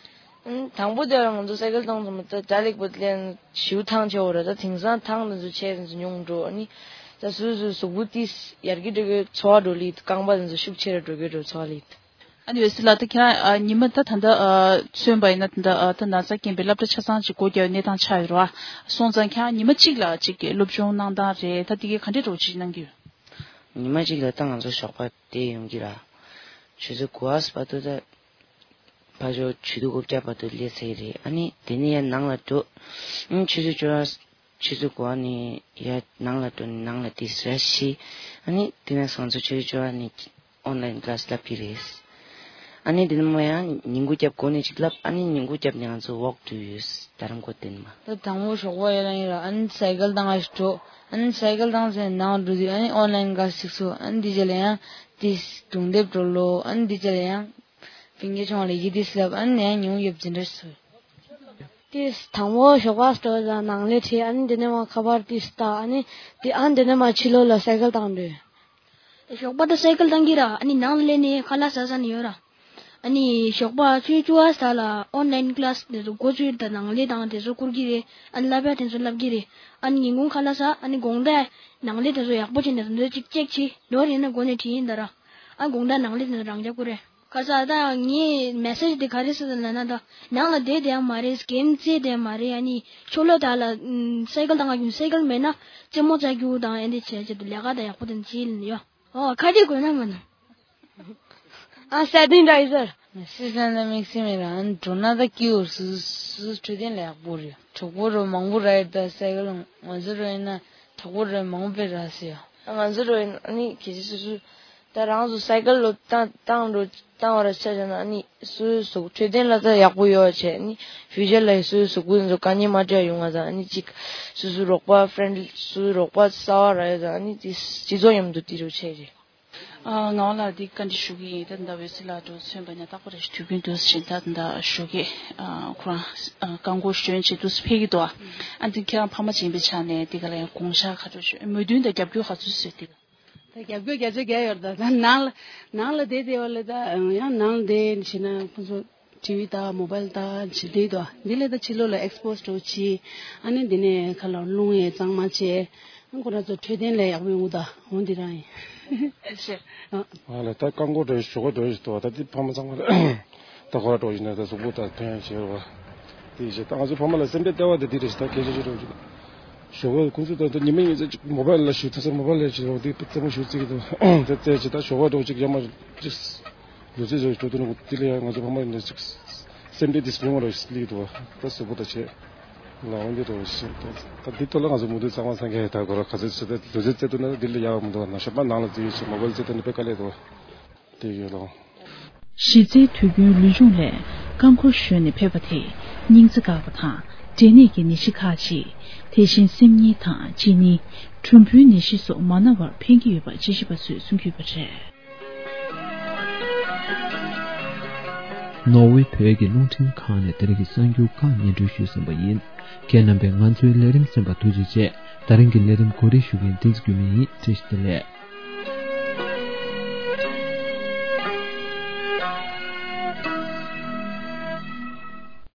ཨང་དང་པོ་དེ་ང་ཚོ་སའི་ཀལ་བཏང་ཙམ་ད་ཇ་ལེགས་པོ་ལེན་ཞིའུ་ཐང་ཆེ་བོ་ར། ད་དེང་སང་ཐང་དེ་ཚོ་ཆེ་དེ་ཚོ་ཉུང་འགྲོ། ཨ་ནི་ད་སུ་སུ་གཟུགས་པོ་ཏིས་ཡར་གི་འགྲོ་གི་ཚོ་བ་འགྲོ་ལི། རྐང་པ་དེ་ཚོ་ཤུགས་ཆེ་ར་འགྲོ་གི་འགྲོ་ཚོ་བ་ལི། ཨ་ནི་འོད་ཟེར་ལགས་ད་ཁྱེད་རང་ཉི་མ་ད་ད་ད་མཚོན་པ་ཡིན་ན་ད་ད་ད་ན་ཚ་རྐྱེན་པས་སློབ་གྲྭ་ཆ་ཚང་ཅིག་སྒོ་རྒྱག་པའི་གནས་སྟངས་ཆགས་ཡོད་རེད་བ། སོང་ཙང་ཁྱེད་རང་ཉི་མ་གཅིག་ལ་ཅིག་གི་སློབ་སྦྱོང་གནང་སྟངས་རེད། ད་དེ་གའི་ག་འདྲས་འགྲོ་ཅིག་གནང་གི་ཡོད། ཉི་མ་གཅིག་ལ་ད་ང་ཚོ་ཞོགས་པ་དེ་ཡོང་གི་ར། ཆུ་ཚོད་དགུ་པ་བར་དུ་ད་ཕ་ཇོ་ཆུ་ཚོད་དགུ་བརྒྱ་བར་དུ་སླེབས་ཚར་གི་རེད། ཨ་ནི་དེ་ནས་ཡར་ནང་ལ་འགྲོ། ཨང་ཆུ་ཚོད་བཅུ་པ་ཆུ་ཚོད་དགུ་པ་ནས་ཡར་ནང་ལ་འགྲོ་ནས་ནང་ལ་དེ་ཟ་ཤི། ཨ་ནི་དེ་ནས་ང་ཚོ་ཆུ་ཚོད་བཅུ་པ་ནས་ཨོན་ལའིན་ཀ་ལ་སི་བསླབ་ཀྱི་རེད། ཨ་ནི་དེ་ནས་མ་ཡང་ཉིན་གུང་རྒྱབ་སྒོ་ནས་ཅིག་བསླབ། ཨ་ནི་ཉིན་གུང་རྒྱབ་ནས་ང་ཚོ་ཝོག་འགྲོ་ཡོད། རྡ་རམ་ཁོ་དེ་ནས་མ། ད་དང་པོ་ཞོགས་པ་ཡར་ལངས་ཡིན་ར། ཨ་ནི་སའི་ཀལ་བཏང་ང་ཞིག་འགྲོ། ཨ་ནི་སའི་ཀལ་བཏང་ཚེ་ནང་འགྲོ་དུས་ཨ་ནི་ཨོན་ལའིན་ཀ་ལ་སི་ཞིག་ཚུགས། ཨ་ནི་དེ་རྗེས་ལ་ཡང་དེ་སྒྲུང་དེབ་འགྲོ་ལོ། ཨ་ནི་དེ་རྗེས་ལ་ཡང་ཕིང་གེ་ཆུང་བ་ལ་ཡི་དེ་སླབ། ཨ་ནི་ཡང་ཉུང་ཡོད་ཅིག་འདྲ་སུ། དེ་དང་པོ་ཞོགས་པ་སྤྲོ་ལ་ནང་ལས་ཁྲིད། ཨ་ནི་དེ་ནས་མ་ཁ་པར་དེ་ལྟ། ཨ་ནི་དེ་ཨ་ནི་དེ་ནས་མ་ཕྱི་ལོགས་ལ་སའི་ཀལ་བཏང་འགྲོ། ཞོགས་པ་ད་སའི་ཀལ་བཏང་གི་ར། ཨ་ནི་ནང་ལ་སླེབས་ནས་ཁ་ལག་ཟ་ཟ་ནས་ཡོད་ར། ཨ་ནི་ཞོགས་པ་ཆུ་ཚོད་བཅུ་པ་ལ་ཨོན་ལའིན་ཀ་ལ་སི་དེ་ཚོ་འགོ་ཚུགས་ད་ནང་ལས་དང་དེ་ཚོ་བསྐུར་གི་རེད། ཨ་ནི་བསླབ་ཡ་དེ་ཚོ་བསླབ་གི་རེད། ཨ་ནི་ཉིན་གུང་ཁ་ལག་ཟ། ཨ་ནི་དགོང་དག་ནང་ལས་དེ་ཚོ་ཡག་པོ་བྱས་ནས་དེ་ཚོ་ཅིག་ཅེག་བྱེད། ནོར་ཡིན་ན་སྒོ་ནས་བྲིས་ཡིན་ད་ར། ཨ་དགོང་དག་ནང་ལས་དེ་ཚོ་རང་རྒྱག་དགོས་རེད། ཁ་ས་ད་ངའི་མེ་སེ་ཇི་དེ་ག་རེ་ཟེར་ན་ད་ནང་ལ་བསྡད་བསྡད་ཡ་མ་རེད། གེམ་རྩེ་བསྡད་ཡ་མ་རེད། ཨ་ནི་ཕྱི་ལོགས་ད་ལ་ཨམ་སའི་ཀལ་བཏང་ག་རྒྱུག་སའི་ཀལ་མེད་ན་རྩེད་མོ་རྩེ་རྒྱུག་དང་ཨེ་འདྲ་བྱས་བྱས་དུ་ལས་ཀ་ད་ཡག་པོ་དེ་འདྲ་བྱས་ཡིན་ཡོད། ཨོ་ཁ་ཅིག་དགོས་ན་མ་ན། ཨ་སད་དིང་ད་ཡི་ཟེར། སི་སན་ད་དམིགས་བསལ་མེད་ར། ཨ་ནི་འགྲོ་ན་ད་སྐྱིད་པོ་སུ་སུ་འཕྲོད་བསྟེན་ལ་ཡག་པོ་རེད། གྲོགས་པོ་རོ་མང་པོ་ར་ཡོད་ད་སའི་ཀལ་ང་ཚོ་རོ་ཡིན་ན་གྲོགས་པོ་རོ་མང་པོ་ར་སི་ཡ། ང་ཚོ་རོ་ཡིན་ཨ་ནི་ཁྱེད་ཀྱི་སུ་སུ། ད་རང་ཚོ་སའི་ཀལ་ལོ་བཏང་བཏང་འགྲོ་བཏང་བ་ར་ཆ་བཞག་ན་ཨ་ནི་སོ་སོའི་གཟུགས་འཕྲོད་བསྟེན་ལ་ད་ཡག་པོ་ཡོད་བྱས་ཨ་ནི་ཕིའུ་ཅར་ལ་ཡི་སོ་སོའི་གཟུགས་པོ་ཚོ་དཀའ་ངལ་མ་འཕྲད་ཡོང་ང་ད་ཨ་ནི་གཅིག་སོ་སོའི་རོགས་པ་friend སོ་སོའི་རོགས་པ་གསར་པ་རག་ཡོད་ད་ཨ་ནི་དེ་སྤྱི་ཚོགས་མཉམ་དུ་དེ་རུ་ཆེ་རེད། ཨ་ངག་དབང་ལགས་འདི་བཀའ་འདྲི་ཞུ་གི་ཡིན། ད་ད་འོད་ཟེར་ལགས་འགྲོ་མཚོན་པ་ནས་རྟག་པར་དུས་རྒྱུན་དུ་བཞིན་ད་ད་ཞུ་གི་ཨ་ཁོ་རང་ཨ་རྐང་འཁོར་ཞོན་བྱེད་དུས་ཕེབས་ཀྱི་འདུག་ཨ་འདི་ཁྱེད་རང་ཕ་མ་ཡིན་པའི་ཆ་ནས་འདི་ག་ལ་ཡང་དགོངས་འཆར་ག་ཚོད་ཞུ་མོས་མཐུན་དང་རྒྱབ་སྐྱོར་ག་ཚོད་བཟོས་འདི་ག་ད་རྒྱབ་སྐྱོར་བརྒྱ་ཆ་བརྒྱ་ཡོད་རེད། ད་ད་ནང་ལ་ནང་ལ་བསྡད་བསྡད་པ་ལ་ད་ཡང་ནང་ལ་བསྡད་བྱས་ན་ཁོ་ཚོ་ཊི་ཝི་ད་མོ་བལ་ད་བྱེད་བསྡད་འདུག་འདི་ལས་ད་ཕྱི་ལོགས་ལ་ཨེག་སི་པོ་སི་འགྲོ་བྱེད་ཨ་ནི་འདི་ནས་ཁ་ལ་རླུང་ཡས་གཙང་མ་བྱས། ཁོ་རང་ཚོ་འཕྲོད་བསྟེན་ལ་ཡག་པོ་ཡོང་གི་ད་འོ་འདི་རང་ཡིན། ཨ་ལ་ད་རྐང་འཁོར་འགྲོ་ཞོགས་པ་འགྲོ་ཞིག་ཏུ་བ་ད་འདི་ཕ་མ་ཚང་མ་ལ་ད་ཁོ་ར་འགྲོ་ཡིན་ན་ད་གཟུགས་པོ་ད་ཐོན་བྱེད་རོགས་དེ་བྱེད་ད་ང་ཚོ་ཕ་མ་ལ་སེམས་པའི་ལྟ་བ་དེ་འདི་རེད་ད་སྐད་ཆ་བཤད་རོགས་ཞིག་ཞོགས་པ་ཁོང་ཚོ་ད་ད་ཉི་མ་ཉི་ཚེ་ཅིག་མོ་བལ་ལ་ཞུ་ཐུབ་ས་མོ་བལ་ལ་ཞུ་རོགས་དེ་ཙམ་ཞུ་རྩིས་ཀྱི་འདུག་ད་བཙལ་བྱེད་ད་ཞོགས་པ་འགྲོ་ཅིག་ཡ་མ་ཅིག་ལུས་རྩལ་ཟེར་བའི་འགྲོ་དོན་དེ་ལ་ཡང་ང་ཚོ་ཕ་མ་ཡིན་ན་ཅིག་སེམས་ཁྲལ་དེ་སྤྲོད་མ་རོགས་ཞིག་ལིག་འདུག་བ་ད་གཟུགས་པོ་ད་བྱེད་ལ་འོན་ཏེ་འགྲོ་ཞིག་ད་འདི་ཐོག་ལ་ང་ཚོ་མུ་མཐུད་གཙང་མ་ཚང་གི་ད་གོ་ར་ག་ཚོད་བྱེད་ད་ལུས་རྩལ་རྩེད་དུ་ན་འདི་ལ་ཡག་མི་འདུག་ན་ཞོགས་པ་ནང་ལ་འཛུལ་ཡོད་ཞིག་མོ་བལ་རྩེད་དུ་ནི་དཔེ་དཀའ་ལས་འདུག་བ་དེ་ཡོད་ལོ། གཞི་རྩའི་དུས་རྒྱུན་ལུས་སྦྱོང་ལས་རྐང་འཁོར་ཞོན་ནས་ཕེབས་པ་དེས་སྙིང་རྩ་འགག་པ་དང་འབྲས་ནད་ཀྱི་ནད་གཞི་ཁག་ཅིག་དེ་བཞིན་སེམས་ཉིན་དང་གཅིན་སྙི། གྲུམ་བུའི་ནད་གཞི་སོགས་མ་ན་བར་ཕན་གྱི་ཡོད་པ་དཔྱད་ཞིབ་པ་ཚོས་གསུང་གི་ཡོད་པ་རེད། ནོར་ཝེ་བོད་ཀྱི་རླུང་འཕྲིན་ཁང་ནས་དེ་རིང་གི་གསར་འགྱུར་ཁག་སྙན་སྒྲོན་ཞུས་ཟིན་པ་ཡིན། ཁྱེད་རྣམ་པས་ང་ཚོའི་ལས་རིམ་གསན་པར་ཐུགས་རྗེ་ཆེ། ད་རིང་གི་ལས་རིམ་གོ་སྒྲིག་ཞུ་མཁན་བསྟན་འཛིན་སྐྱོན་མེད་ཡིན། བཀྲ་ཤིས་བདེ་ལེགས།